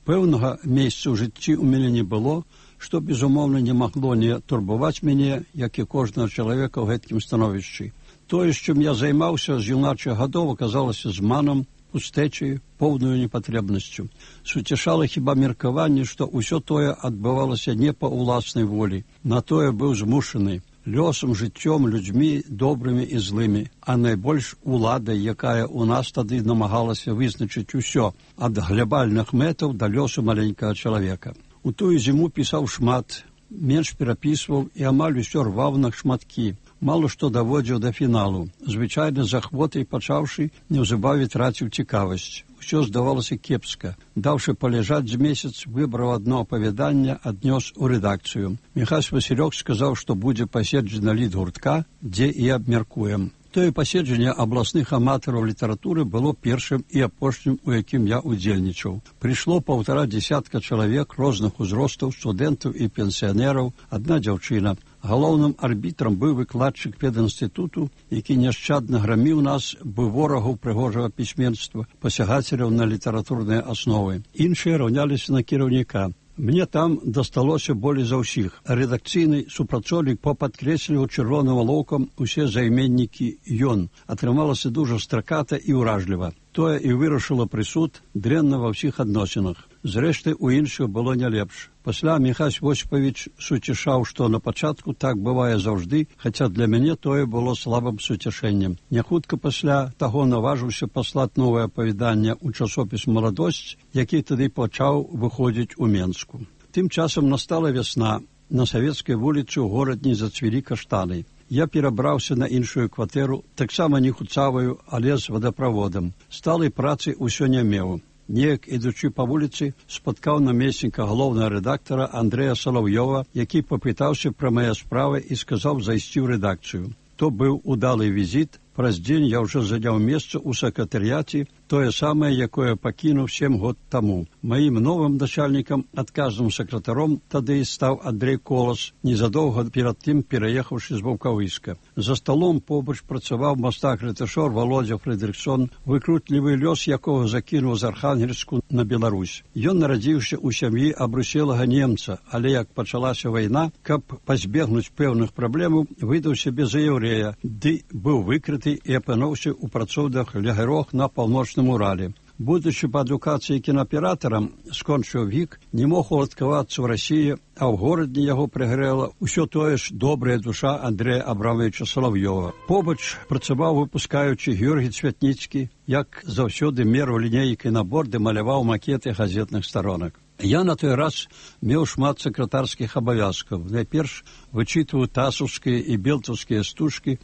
Пэўнага месца ў жыцці ў мяне не было, што, безумоўна, не магло не турбаваць мяне, як і кожнага чалавека ў гэткім становішчы. Тое, з чым я займаўся з юначых гадоў, аказалася зманам, пустэчай, поўнаю непатрэбнасцю. Суцяшала хіба меркаванне, што ўсё тое адбывалася не па ўласнай волі. На тое быў змушаны лёсам, жыццём, людзьмі добрымі і злымі, а найбольш уладай, якая ў нас тады намагалася вызначыць усё, ад глябальных мэтаў да лёсу маленькага чалавека. У тую зіму пісаў шмат, менш перапісваў і амаль усё рваў на шматкі. Мало што даводзіў да фіналу. Звычайна з ахвотай пачаўшы, неўзабаве траціў цікавасць. Усё здавалася кепска. Даўшы паляжаць з месяц, выбраў адно апавяданне, аднёс у рэдакцыю. Міхась Васілёк сказаў, што будзе паседжана літгуртка, дзе і абмяркуем. Тое паседжанне абласных аматараў літаратуры было першым і апошнім, у якім я удзельнічаў. Прыйшло паўтара дзесятка чалавек розных узростаў, студэнтаў і пенсіянераў, адна дзяўчына. Галоўным арбітрам быў выкладчык педінстытуту, які няшчадна граміў нас, быў ворагаў прыгожага пісьменства, пасягацеляў на літаратурныя асновы. Іншыя раўняліся на кіраўніка. Мне там дасталося болей за ўсіх. Рэдакцыйны супрацоўнік попадкрэсліваў чырвоным алоўкам усе займеннікі «ён». Атрымалася дужа страката і ўражліва. Тое і вырашыла прысуд дрэнна ва ўсіх адносінах. Зрэшты, у іншых было не лепш. Пасля Міхась Восіпавіч суцішаў, што на пачатку так бывае заўжды, хаця для мяне тое было слабым суцішэннем. Няхутка пасля таго наважыўся паслаць новае апавяданне ў часопіс «Маладосць», які тады пачаў выходзіць у Менску. Тым часам настала вясна, на Савецкай вуліцы ў горадні зацвілі каштаны. Я перабраўся на іншую кватэру, таксама не хуцаваю, але з вадаправодам. Сталай працы ўсё не меў. Неяк, ідучы па вуліцы, спаткаў намесніка галоўнага рэдактара Андрэя Салаўёва, які папытаўся пра мае справы і сказаў зайсці ў рэдакцыю. То быў удалы візіт. Праз дзень я ўжо заняў месца ў сакратарыяце, тое самае, якое пакінуў сем год таму. Маім новым начальнікам, адказным сакратаром, тады і стаў Андрэй Колас, незадоўга перад тым пераехаўшы з Ваўкавыска. За сталом побач працаваў мастак-рэтышор Володя Фрэдрыксон, выкрутлівы лёс якога закінуў з Архангельску на Беларусь. Ён нарадзіўся ў сям'і абруселага немца, але як пачалася вайна, каб пазбегнуць пэўных праблемаў, выдаў сябе за яўрэя, ды быў выкрыты і апынуўся ў працоўных лагерах на паўночным Урале. Будучы па адукацыі кінааператарам, скончыў вік, не мог уладкавацца ў Расіі, а ў горадні яго прыгрэла ўсё тое ж добрая душа Андрэя Абрамавіча Салаўёва. Побач працаваў выпускаючы Георгій Цвятніцкі, як заўсёды мераў лінейкай на борды, маляваў макеты газетных старонак. Я на той раз меў шмат сакратарскіх абавязкаў. Найперш вычытваў тасаўскія і белтаўскія стужкі,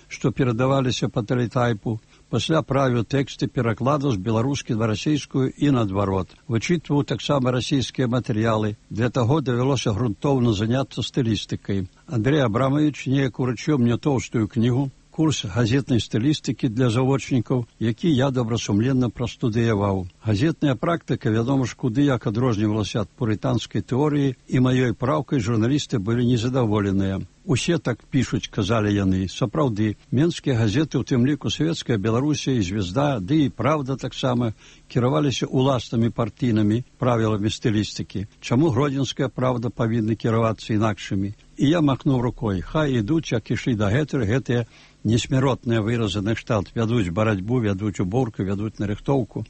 што перадаваліся па тэлетайпу, пасля правіў тэксты перакладаў з беларускай на расійскую і наадварот. Вычытваў таксама расійскія матэрыялы. Для таго давялося грунтоўна заняцца стылістыкай. Андрэй Абрамавіч неяк уручыў мне тоўстую кнігу, курс газетнай стылістыкі для завочнікаў, які я добрасумленна прастудыяваў. Газетная практыка, вядома ж, куды як адрознівалася ад пурытанскай тэорыі, і маёй праўкай журналісты былі незадаволеныя. Усе так пішуць, казалі яны. Сапраўды, менскія газеты, у тым ліку Савецкая Беларусія і Звезда, ды і Правда таксама, кіраваліся уласнымі партійнымі правіламі стылістыкі. Чаму Гродзенская Правда павінна кіравацца інакшымі? І я махнуў рукой. Хай ідуць, як ішлі дагэтуль гэтыя несмяротныя выразы на кшталт. Вядуць барацьбу, вядуць уборку, вядуць нарыхтоўку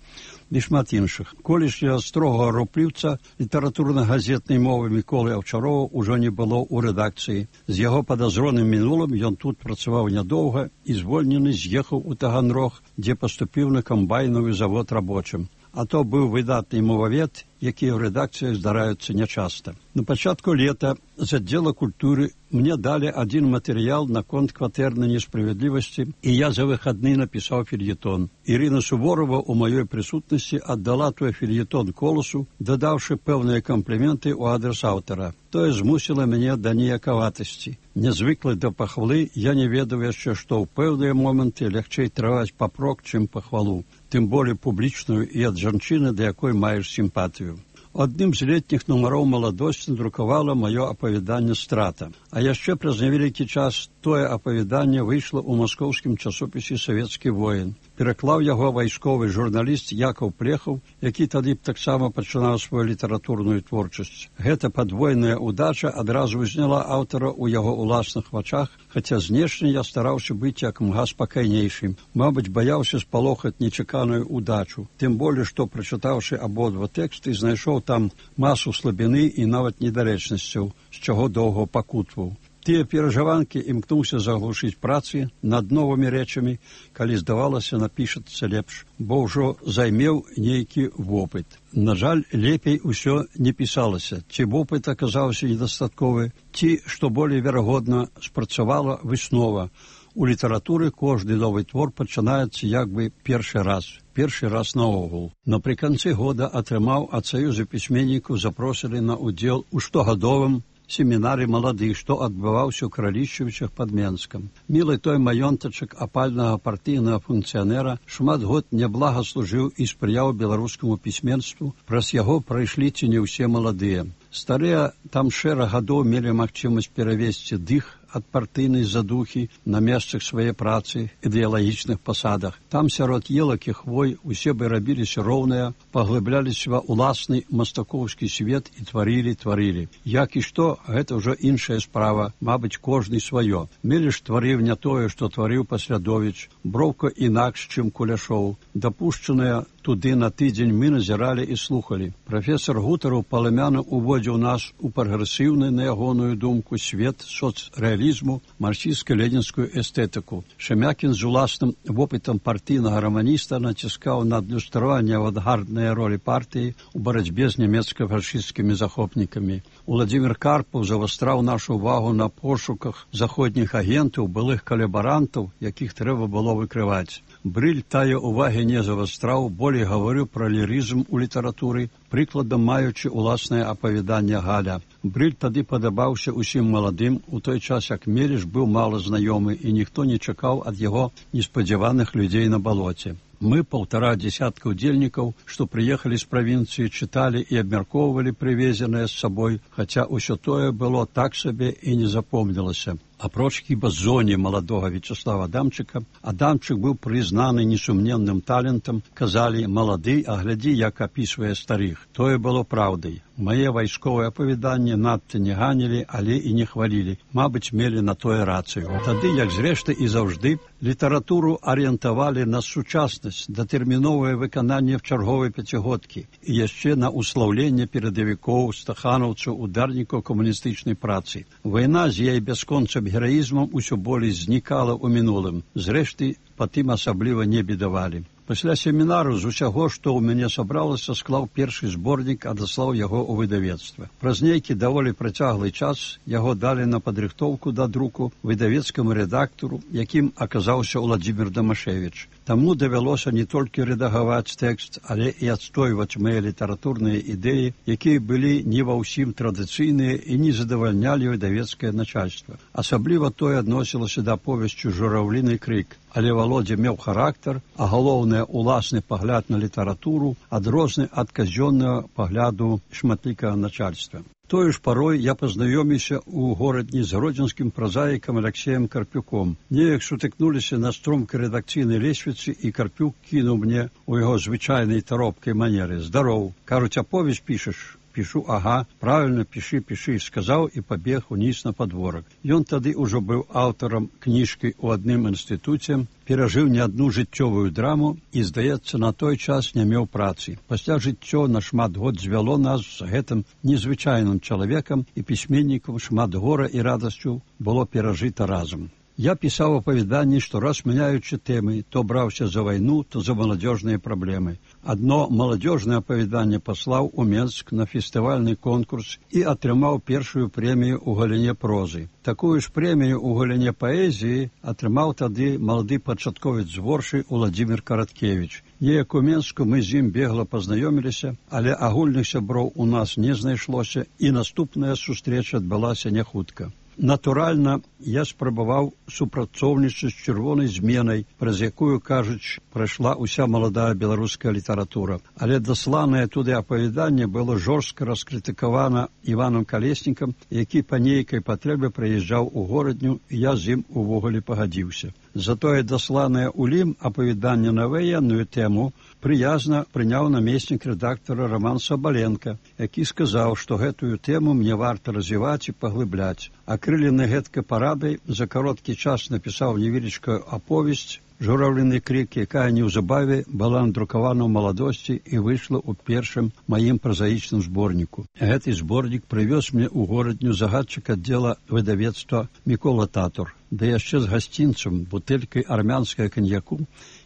і шмат іншых. Колішняга строгага рупліўца літаратурна-газетнай мовы Міколы Аўчарова ўжо не было ў рэдакцыі. З яго падазроным мінулым ён тут працаваў нядоўга і звольнены з'ехаў у Таганрог, дзе паступіў на камбайновы завод рабочым. А то быў выдатны мовавед, якія ў рэдакцыях здараюцца нячаста. На пачатку лета з аддзела культуры мне далі адзін матэрыял наконт кватэрнай несправядлівасці, і я за выхадны напісаў фельетон. Ірына Суворова ў маёй прысутнасці аддала той фельетон Коласу, дадаўшы пэўныя кампліменты ў адрас аўтара. Тое змусіла мяне да ніякаватасці. Нязвыклы да пахвалы, я не ведаў яшчэ, што ў пэўныя моманты лягчэй трываць папрок, чым пахвалу, тым болей публічную і ад жанчыны, да якой маеш сімпатыю. Адным з летніх нумароў «Маладосць» надрукавала маё апавяданне «Страта». А яшчэ праз невялікі час тое апавяданне выйшла ў маскоўскім часопісе «Савецкі воін». Пераклаў яго вайсковы журналіст Якаў Плехаў, які тады б таксама пачынаў сваю літаратурную творчасць. Гэта падвойная ўдача адразу ўзняла аўтара ў яго ўласных вачах, хаця знешне я стараўся быць як мга спакайнейшым. Мабыць, баяўся спалохаць нечаканую ўдачу. Тым болей, што, прачытаўшы абодва тэксты, знайшоў там масу слабіны і нават недарэчнасцяў, з чаго доўга пакутваў. Тыя перажыванкі імкнуўся заглушыць працы над новымі рэчамі, калі здавалася, напішацца лепш, бо ўжо займеў нейкі вопыт. На жаль, лепей усё не пісалася. Ці вопыт аказаўся недастатковы, ці, што болей верагодна, спрацавала выснова. У літаратуры кожны новы твор пачынаецца як бы першы раз. Першы раз наогул. Напрыканцы года атрымаў ад Саюза пісьменнікаў запрошалі на ўдзел у штогадовым семінары маладых, што адбываўся ў Кралішчавічах пад Менскам. Мілы той маёнтачак апальнага партыйнага функцыянера шмат год няблага служыў і спрыяў беларускаму пісьменству. Праз яго прайшлі ці не ўсе маладыя. Старыя там шэраг гадоў мелі магчымасць перавесці дых ад партыйнай задухі на месцах свае працы, ідэалагічных пасадах. Там сярод елак і хвой усе бы рабіліся роўныя, паглыбляліся ва ўласны мастакоўскі свет і тварілі, тварілі. Як і што, гэта ўжо іншая справа, мабыць, кожны сваё. Меліш тварыў не тое, што тварыў Паслядовіч, броўка інакш, чым Куляшоў. Дапушчаная туды на тыдзень, мы назіралі і слухалі. Прафесор Гутараў паламяна уводзіў нас у прагрэсіўны, на ягоную думку, свет соцрэалізму, марксістска-ленінскую эстэтыку. Шемякін з уласным вопытам партыйнага раманіста націскаў на адлюстраванне авангарднай ролі партыі у барацьбе з нямецка-фашысцкімі захопнікамі. Уладзімір Карпаў завастраў нашу увагу на пошуках заходніх агентаў, былых калабарантаў, якіх трэба было выкрываць. Брыль тая увагі не завастраў, болей гаварыў пра лірызм у літаратуры, прыкладам маючы уласнае апавяданне Галя. Брыль тады падабаўся усім маладым, у той час як Меліш быў мала знаёмы і ніхто не чакаў ад яго неспадзяваных людзей на балоце. Мы, паўтара дзесятка удзельнікаў, што прыехалі з правінцыі, чыталі і абмяркоўвалі прывезенае з сабой, хаця ўсё тое было так сабе і не запомнілася. Апроч хіба зоне маладога Вячеслава Адамчыка, Адамчык быў прызнаны несумненным талентам, казалі «малады, а глядзі, як апісвае старых». Тое было праўдай. Мае вайсковыя апавяданні надта не ганілі, але і не хвалілі. Мабыць, мелі на тое рацыю. Тады, як зрэшты і заўжды, літаратуру арыентавалі на сучаснасць, датэрміновае выкананне чарговай пяцігодкі і яшчэ на услаўленне перадавікоў, стаханаўцаў, ударнікаў камуністычнай працы. Вайна з яе бясконцым гераізмам усё болей знікала ў мінулым. Зрэшты, патым асабліва не бедавалі. Пасля семінару з усяго, што ў мяне сабралася, склаў першы зборнік, адаслаў яго ў выдавецтва. Праз нейкі даволі працяглы час яго далі на падрыхтоўку да друку выдавецкаму рэдактару, якім аказаўся Уладзімір Дамашевіч. Таму давялося не толькі рэдагаваць тэкст, але і адстойваць мае літаратурныя ідэі, якія былі не ва ўсім традыцыйныя і не задавальнялі выдавецкае начальства. Асабліва тое адносілася да аповесцю «Жураўліны крык». Але Володя меў характар, а галоўнае уласны пагляд на літаратуру адрозны ад казённага пагляду шматлікага начальства. Тою ж парой я пазнаёміўся ў горадні з гродзенскім празаікам Алексеем Карпюком. Неяк сутыкнуліся на стромкай рэдакцыйнай лесвіцы, і Карпюк кінуў мне ў яго звычайнай таропкай манеры: «Здароў, кажуць, аповесць пішаш?» Пішу, ага, правильно, піші, піші, сказаў і пабег уніз на падворак. Ён тады ўжо быў аўтарам кніжкі ў адным інстытуце, перажыў не адну жыццёвую драму і, здаецца, на той час не меў працы. Пасля жыццё на шмат год звяло нас з гэтым незвычайным чалавекам, і пісьменнікам шмат гора і радасцю было перажыта разам. Я пісаў апавяданні, што раз мяняючы тэмы, то браўся за вайну, то за маладзёжныя праблемы. Адно маладзёжнае апавяданне паслаў у Менск на фестывальны конкурс і атрымаў першую прэмію ў галіне прозы. Такую ж прэмію ў галіне паэзіі атрымаў тады малады пачатковец з Воршы Уладзімір Караткевіч. Неяк у Менску мы з ім бегла пазнаёміліся, але агульных сяброў у нас не знайшлося, і наступная сустрэча адбылася не хутка. Натуральна, я спрабаваў супрацоўнічаць з чырвонай зменай, праз якую, кажуць, прайшла ўся маладая беларуская літаратура. Але дасланае туды апавяданне было жорстка раскрытыкавана Іванам Калеснікам, які па нейкай патрэбе прыязджаў у горадню, і я з ім увогуле пагадзіўся. Затое дасланае ў Лім апавяданне на ваенную тэму прыязна прыняў намеснік рэдактара Роман Сабаленко, які сказаў, што гэтую тэму мне варта развіваць і паглыбляць. Акрылены гэткай парадай за кароткі час напісаў невялічкую аповесць «Жураўліны крык», якая неўзабаве была надрукавана ў маладосці і выйшла ў першым маім празаічным зборніку. Гэты зборнік прывёз мне ў горадню загадчык аддзела выдавецтва Мікола Татур, да яшчэ з гасцінцам, бутэлькай армянскага каньяку,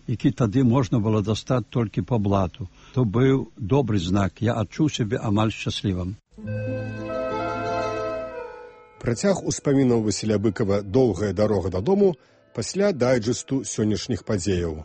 які тады можна было дастаць толькі па блату. То быў добры знак, я адчуў сябе амаль шчаслівым. Працяг успамінаў Васіля Быкава «Доўгая дарога дадому» пасля дайджэсту сённяшніх падзеяў.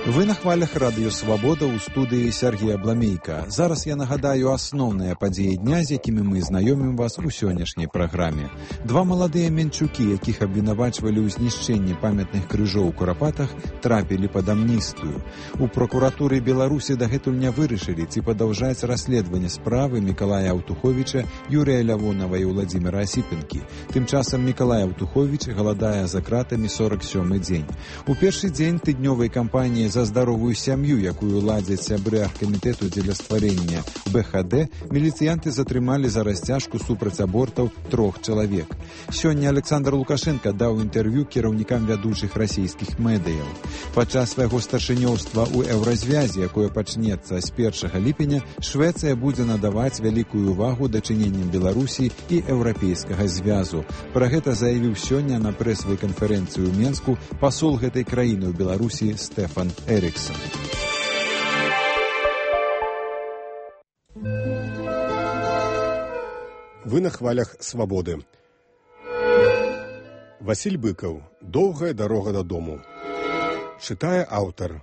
Вы на хвалях радыё «Свабода» ў студыі Сергія Бламейка. Зараз я нагадаю асноўныя падзеі дня, з якімі мы знаёмім вас у сённяшняй праграме. Два маладыя менчукі, якіх абвінавачвалі ў знішчэнні памятных крыжоў у Курапатах, трапілі пад амністыю. У прокуратуры Беларусі дагэтуль не вырашылі, ці падаўжаць расследаванне справы Мікалая Аўтуховіча, Юрыя Лявонава і Уладзіміра Асіпенкі. Тым часам Мікалай Аўтуховіч галадае за кратамі сорак сёмы дзень. У першы дзень тыднёвай кампаніі за за здаровую сям'ю, якую ладзяць сябры аргкамітэту дзеля стварэння бэ ха дэ, міліцыянты затрымалі за расцяжку супраць абортаў трох чалавек. Сёння Александр Лукашенко даў інтэрв'ю кіраўнікам вядучых расійскіх медыяў. Падчас свайго старшынёўства ў еўразвязе, якое пачнецца з першага ліпеня, Швецыя будзе надаваць вялікую увагу дачыненням Беларусі і еўрапейскага звязу. Пра гэта заявіў сёння на прэсавай канферэнцыі ў Менску пасол гэтай краіны ў Беларусі Стефан Эриксон. Вы на хвалях свабоды. Васіль Быкаў. Доўгая дарога дадому. Чытае аўтар.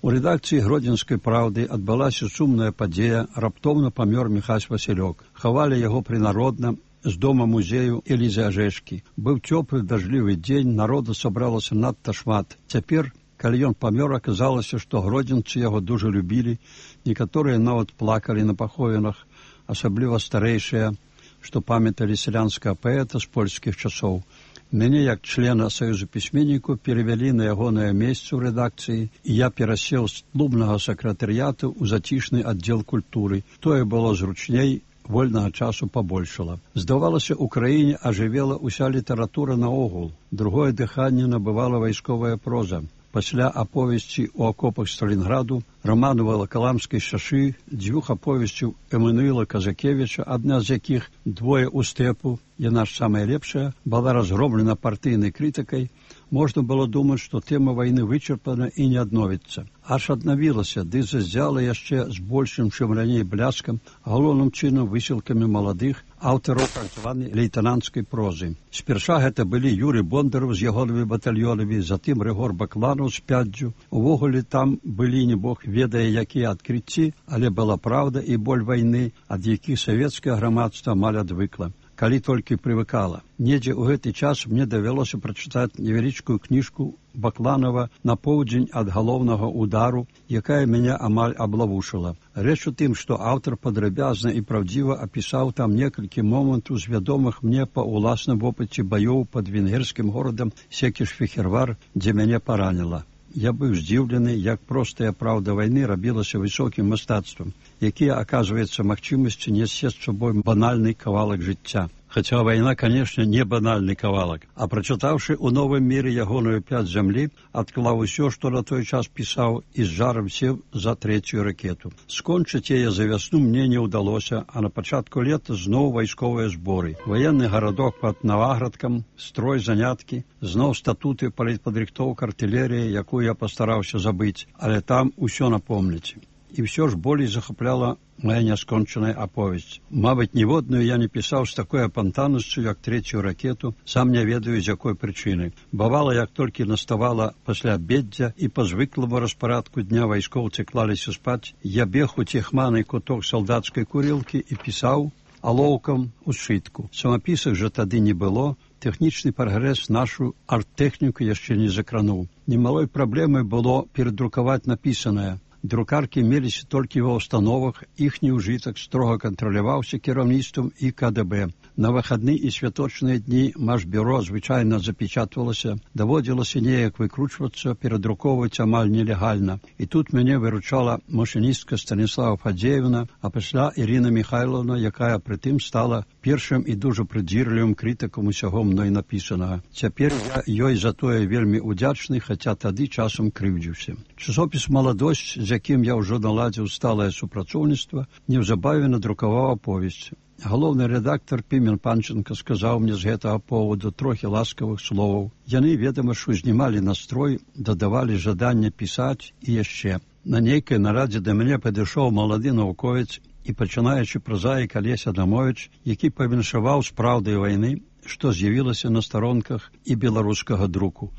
У рэдакцыі Гродзенскай праўды адбылася сумная падзея, раптоўна памёр Міхась Васілёк. Хавалі яго прынародна з дома музею Элізы Ажэшкі. Быў цёплы дажджлівы дзень, народу сабралася надта шмат. Цяпер, калі ён памёр, аказалася, што гродзенцы яго дужа любілі, некаторыя нават плакалі на паховінах, асабліва старэйшыя, што памяталі сялянскага паэта з польскіх часоў. Мяне, як члена Саюзу пісьменнікаў, перавялі на ягонае месца ў рэдакцыі, і я перасеў з клубнага сакратарыяту ў зацішны аддзел культуры. Тое было зручней, вольнага часу пабольшала. Здавалася, у краіне ажывела ўся літаратура наогул. Другое дыханне набывала вайсковая проза. Пасля аповесці ў акопах Сталінграду, раману Валакаламскай шашы, дзвюх аповесцяў Эммануіла Казакевіча, адна з якіх «Двое ў стэпу», яна ж самая лепшая, была разгромлена партыйнай крытыкай, можна было думаць, што тэма вайны вычарпана і не адновіцца. Аж аднавілася, ды заззяла яшчэ з большым, чым раней бляскам, галоўным чынам высілкамі маладых аўтараў так званай лейтананцкай прозы. Спярша гэта былі Юрый Бондараў з ягонымі батальёнамі, затым Рыгор Бакланаў з пяддзю. Увогуле там былі не бог ведае якія адкрыцці, але была праўда і боль вайны, ад якіх савецкае грамадства амаль адвыкла. Калі толькі прывыкала. Недзе ў гэты час мне давялося прачытаць невялічкую кніжку Бакланова «На поўдзень ад галоўнага удару», якая мяне амаль аблавушыла. Рэч у тым, што аўтар падрабязна і праўдзіва апісаў там некалькі момантаў з вядомых мне па ўласным вопыце баёў пад венгерскім горадам Секіш-Фехервар, дзе мяне параніла. Я быў здзіўлены, як простая праўда вайны рабілася высокім мастацтвам, якія, аказваецца, магчымасці несці з сабой банальны кавалак жыцця. Хаця вайна, канешне, не банальны кавалак. А прачытаўшы ў новым міры ягоную пяць зямлі, адклаў усё, што на той час пісаў, і з жарам сеў за трэцюю ракету. Скончыць яе за вясну мне не ўдалося, а на пачатку лета зноў вайсковыя зборы. Ваенны гарадок пад Наваградкам, строй заняткі, зноў статуты, палітпадрыхтоўка, артылерія, якую я пастараўся забыць, але там усё напомніць. І ўсё ж болей захапляла моя няскончаная аповесць. Мабыць, ніводную я не пісаў з такой апантанасцю, як трэцюю ракету, сам не ведаю, з якой прычыны. Бавала, як толькі наставала пасля абеддзя і па звыкламу распарадку дня вайскоўцы клаліся спаць, я бег у цехманы куток салдацкай курілкі і пісаў алоўкам у сшытку. Самапісак жа тады не было, тэхнічны прагрэс нашу арт-тэхніку яшчэ не закрануў. Немалой праблемай было перадрукаваць напісанае. Друкаркі меліся толькі ва ўстановах, іхні ўжытак строга кантраляваўся кіраўніцтвам і ка дэ бэ. На выхадны і святочныя дні Машбюро звычайна запечатвалася, даводзілася неяк выкручвацца, перадрукоўваць амаль нелегальна. І тут мяне выручала машыністка Станіслава Фадзеевна, а пасля Ірына Михайловна, якая прытым стала першым і дужа прыдзірлівым крытыкам усяго мной напісанага. Цяпер я ёй за тое вельмі удзячны, хаця тады часам крыўдзіўся. Часопіс «Маладосць», з якім я ўжо наладзіў сталае супрацоўніцтва, неўзабаве надрукаваў аповесць. Галоўны рэдактар Пімен Панченка сказаў мне з гэтага поводу трохі ласкавых словаў. Яны, ведама ж, узнімалі настрой, дадавалі жаданне пісаць і яшчэ. На нейкай нарадзе да мяне падышоў малады навуковец і пачынаючы празаік Алесь Адамовіч, які павіншаваў з праўдай вайны, што з'явілася на старонках і беларускага друку.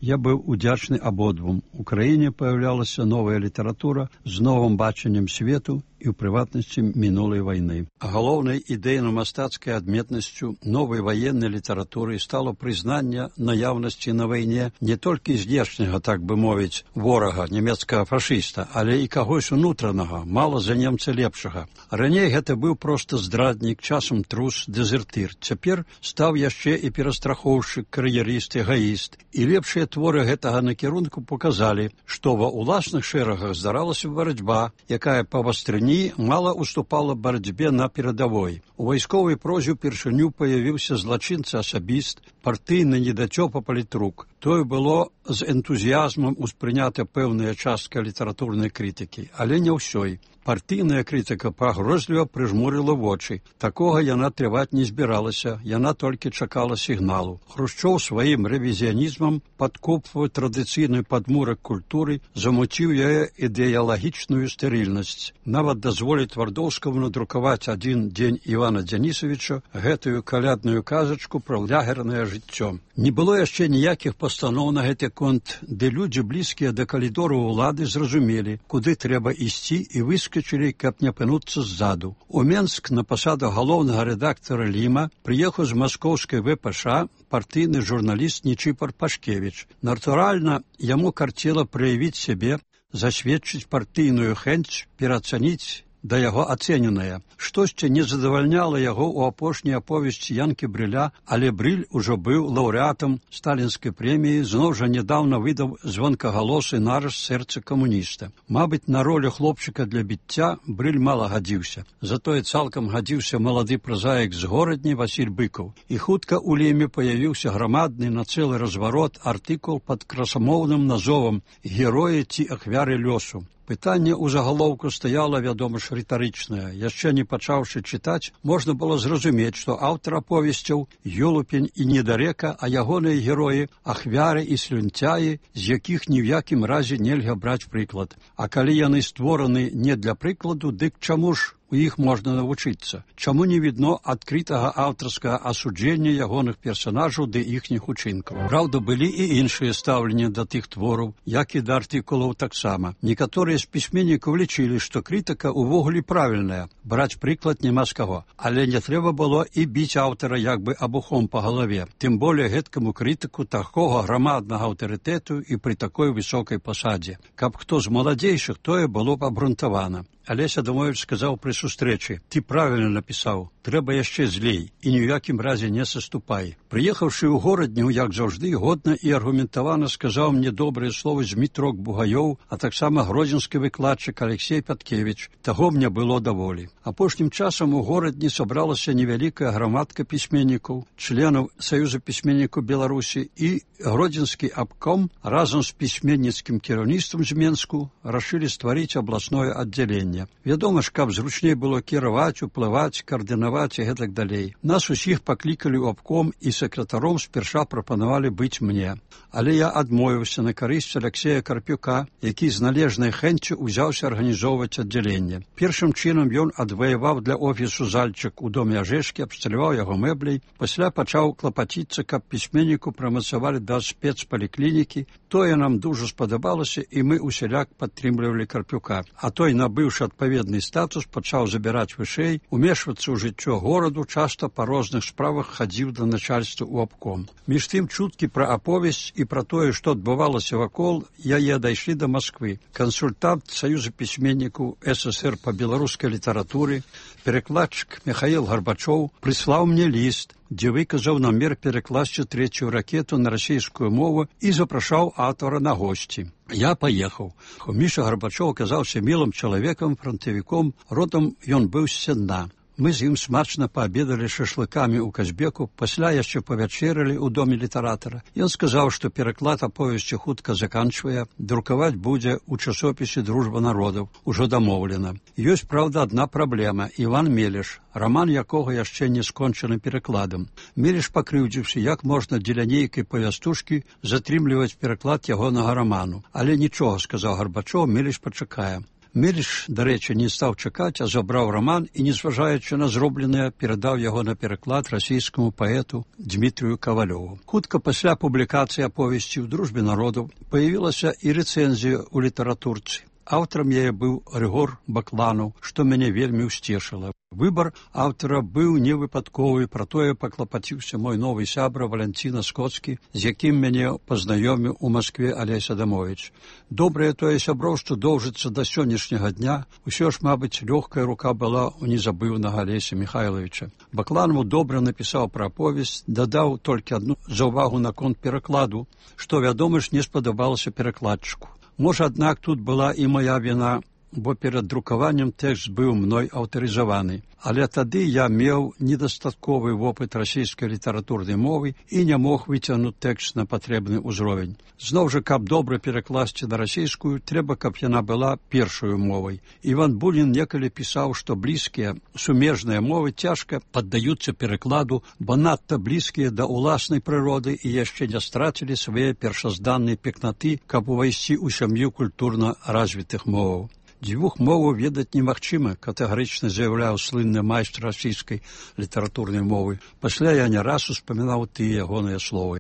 Я быў удзячны абодвум. У краіне паяўлялася новая літаратура з новым бачаннем свету і ў прыватнасці мінулай вайны. Галоўнай ідэйна-мастацкай адметнасцю новай ваеннай літаратуры стало прызнанне наяўнасці на вайне не толькі знешняга, так бы мовіць, ворага, нямецкага фашыста, але і кагось унутранага, мала за немца лепшага. Раней гэта быў проста здраднік, часам трус, дэзертыр. Цяпер стаў стаў яшчэ і перастрахоўшчык, кар'ерыст, эгаіст. І лепшыя творы гэтага накірунку показалі, што ва ўласных шэрагах здаралася барацьба, якая па вастрыні мала уступала барацьбе на перадавой. У вайсковай прозе ўпершыню паявіўся злачынца-асабіст, партыйны недацёпа палітрук. Тое было з энтузіязмам успрынята пэўная частка літаратурнай крытыкі, але не ўсёй. Партыйная крытыка пагрозліва прыжмурыла вочы. Такога яна трываць не збіралася, яна толькі чакала сігналу. Хрушчоў сваім рэвізіянізмам падкопваў традыцыйны падмурак культуры, замуціў яе ідэалагічную стэрыльнасць. Нават дазволіць Твардоўскаму надрукаваць адзін дзень Івана Дзянісавіча гэтую калядную казачку пра лагернае жыццё. Не было яшчэ ніякіх пастаноў на гэты конт, дзе людзі блізкія да калідору ўлады зразумелі, куды трэба ісці і выскачылі, каб не апынуцца ззаду. У Менск на пасаду галоўнага рэдактара Ліма прыехаў з маскоўскай вэ пэ ша партыйны журналіст Нічыпар Пашкевіч. Натуральна, яму карцела праявіць сябе, засведчыць партыйную хэнць, пераацаніць да яго ацэненае. Штосьці не задавальняла яго ў апошняй аповесці Янкі Брыля, але Брыль ужо быў лаўрэатам сталінскай прэміі, зноў жа нядаўна выдаў звонкагалосы нарыс сэрца камуніста. Мабыць, на ролю хлопчыка для біцця Брыль мала гадзіўся. Затое цалкам гадзіўся малады празаік з горадні Васіль Быкаў. І хутка ў Леме паявіўся грамадны на цэлы разварот артыкул пад красамоўным назовам «Героі ці ахвяры лёсу». Пытанне ў загалоўку стаяла, вядома ж, рытарычнае. Яшчэ не пачаўшы чытаць, можна было зразумець, што аўтар аповесцяў Ёлупень і Недарека, а ягоныя героі – ахвяры і слюнцяі, з якіх ні ў якім разе нельга браць прыклад. А калі яны створаны не для прыкладу, дык чаму ж у іх можна навучыцца? Чаму не відно адкрытага аўтарскага асуджэння ягоных персанажаў ды іхніх учынкаў? Праўда, былі і іншыя стаўленні да тых твораў, як і да артыкулаў таксама. Некаторыя з пісьменнікаў лічылі, што крытыка ўвогуле правільная, браць прыклад няма з каго. Але не трэба было і біць аўтара як бы абухом па галаве. Тым болей гэткаму крытыку такога грамаднага аўтарытэту і пры такой высокай пасадзе. Каб хто з маладзейшых, тое было б абрунтавана. Алесь Адамович сказаў пры сустрэчы: «Ты правільна напісаў, трэба яшчэ злей і ні ў якім разе не саступай». Прыехаўшы ў горадню, як заўжды, годна і аргументавана сказаў мне добрыя словы Змітрок Бугаёў, а таксама гродзенскі выкладчык Алексей Пяткевіч. Таго мне было даволі. Апошнім часам у горадні сабралася невялікая грамадка пісьменнікаў, членаў Саюза пісьменнікаў Беларусі, і гродзенскі абком разам з пісьменніцкім кіраўніцтвам з Менску рашылі стварыць абласное аддзяленне. Вядома ж, каб зручней было кіраваць, уплываць, каардынаваць і гэтак далей. Нас усіх паклікалі ў абком і сакратаром спярша прапанавалі быць мне. Але я адмовіўся на карысць Алексея Карпюка, які з належнай хэнццю ўзяўся арганізоўваць аддзяленне. Першым чынам ён адваяваў для офісу зальчык у доме Ажэшкі, абсталяваў яго мэбляй, пасля пачаў клапаціцца, каб пісьменніку прамацавалі да спецпаліклінікі. Тое нам дужа спадабалася, і мы усяляк падтрымлівалі Карпюка. А той, набыўшы адпаведны статус, пачаў забіраць вышэй, умешвацца ў жыццё гораду, часта па розных справах хадзіў да начальства ў абком. Між тым чуткі пра аповесць і пра тое, што адбывалася вакол яе, дайшлі да Масквы. Кансультант Саюза пісьменнікаў эс эс эр па беларускай літаратуры, перакладчык Михаил Гарбачоў прыслаў мне ліст, дзе выказаў намер перакласці трэцюю ракету на расійскую мову і запрашаў аўтара на госці. Я паехаў. Міша Гарбачоў аказаўся мілым чалавекам, фронтавіком, родам ён быў з Сенна. Мы з ім смачна паабедалі шашлыкамі ў Казбеку, пасля яшчэ павячэралі ў доме літаратара. Ён сказаў, што пераклад аповесці хутка заканчвае, друкаваць будзе ў часопісе «Дружба народаў», ужо дамоўлена. Ёсць, праўда, адна праблема – Іван Мелеш, раман якога яшчэ не скончаны перакладам. Мелеш пакрыўдзіўся, як можна дзеля нейкай павястушкі затрымліваць пераклад ягонага раману. Але нічога, сказаў Гарбачоў, Мелеш пачакае. Мелеш, дарэчы, не стаў чакаць, а забраў раман і, незважаючы на зробленае, перадаў яго на пераклад расійскаму паэту Дмітрію Кавалёву. Хутка пасля публікацыі аповесці ў «Дружбе народаў» паявілася і рэцэнзія ў літаратурцы. Аўтарам яе быў Рыгор Бакланаў, што мяне вельмі ўсцешыла. Выбар аўтара быў невыпадковы, пра тое паклапаціўся мой новы сябра Валянціна Скоцкі, з якім мяне пазнаёміў у Маскве Алесь Адамовіч. Добрае тое сяброўства доўжыцца да сённяшняга дня. Усё ж, мабыць, лёгкая рука была у незабыўнага Алеся Михайловича. Бакланаў добра напісаў пра аповесць, дадаў толькі адну заўвагу наконт перакладу, што, вядома ж, не спадабалася перакладчыку. Можа, аднак, тут была і моя віна, бо перад друкаваннем тэкст быў мной аўтарызаваны. Але тады я меў недастатковы вопыт расійскай літаратурнай мовы і не мог выцягнуць тэкст на патрэбны ўзровень. Зноў жа, каб добра перакласці на расійскую, трэба, каб яна была першаю мовай. Іван Бунін некалі пісаў, што блізкія сумежныя мовы цяжка паддаюцца перакладу, бо надта блізкія да ўласнай прыроды і яшчэ не страцілі свае першазданныя пекнаты, каб увайсці ў сям'ю культурна развітых моваў. Дзвюх моваў ведаць немагчыма, катэгарычна заяўляў слынны майстр расійскай літаратурнай мовы. Пасля я не раз успамінаў тыя ягоныя словы.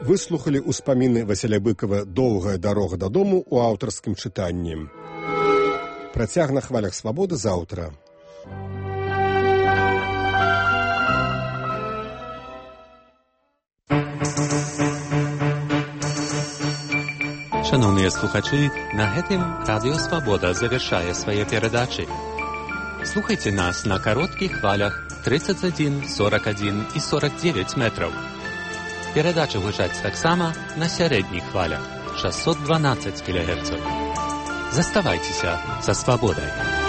Выслухалі ўспаміны Васіля Быкова «Доўгая дарога дадому» у аўтарскім чытанні. Працяг на хвалях свабоды заўтра. Шановныя слухачы, на гэтым Радыё Свабода завяршае свае перадачы. Слухайце нас на кароткіх хвалях тридцать один, сорок один і сорок девять метраў. Перадачы гучаць таксама на сярэдніх хвалях шестьсот двенадцать кілогерцаў. Заставайцеся са свабодай.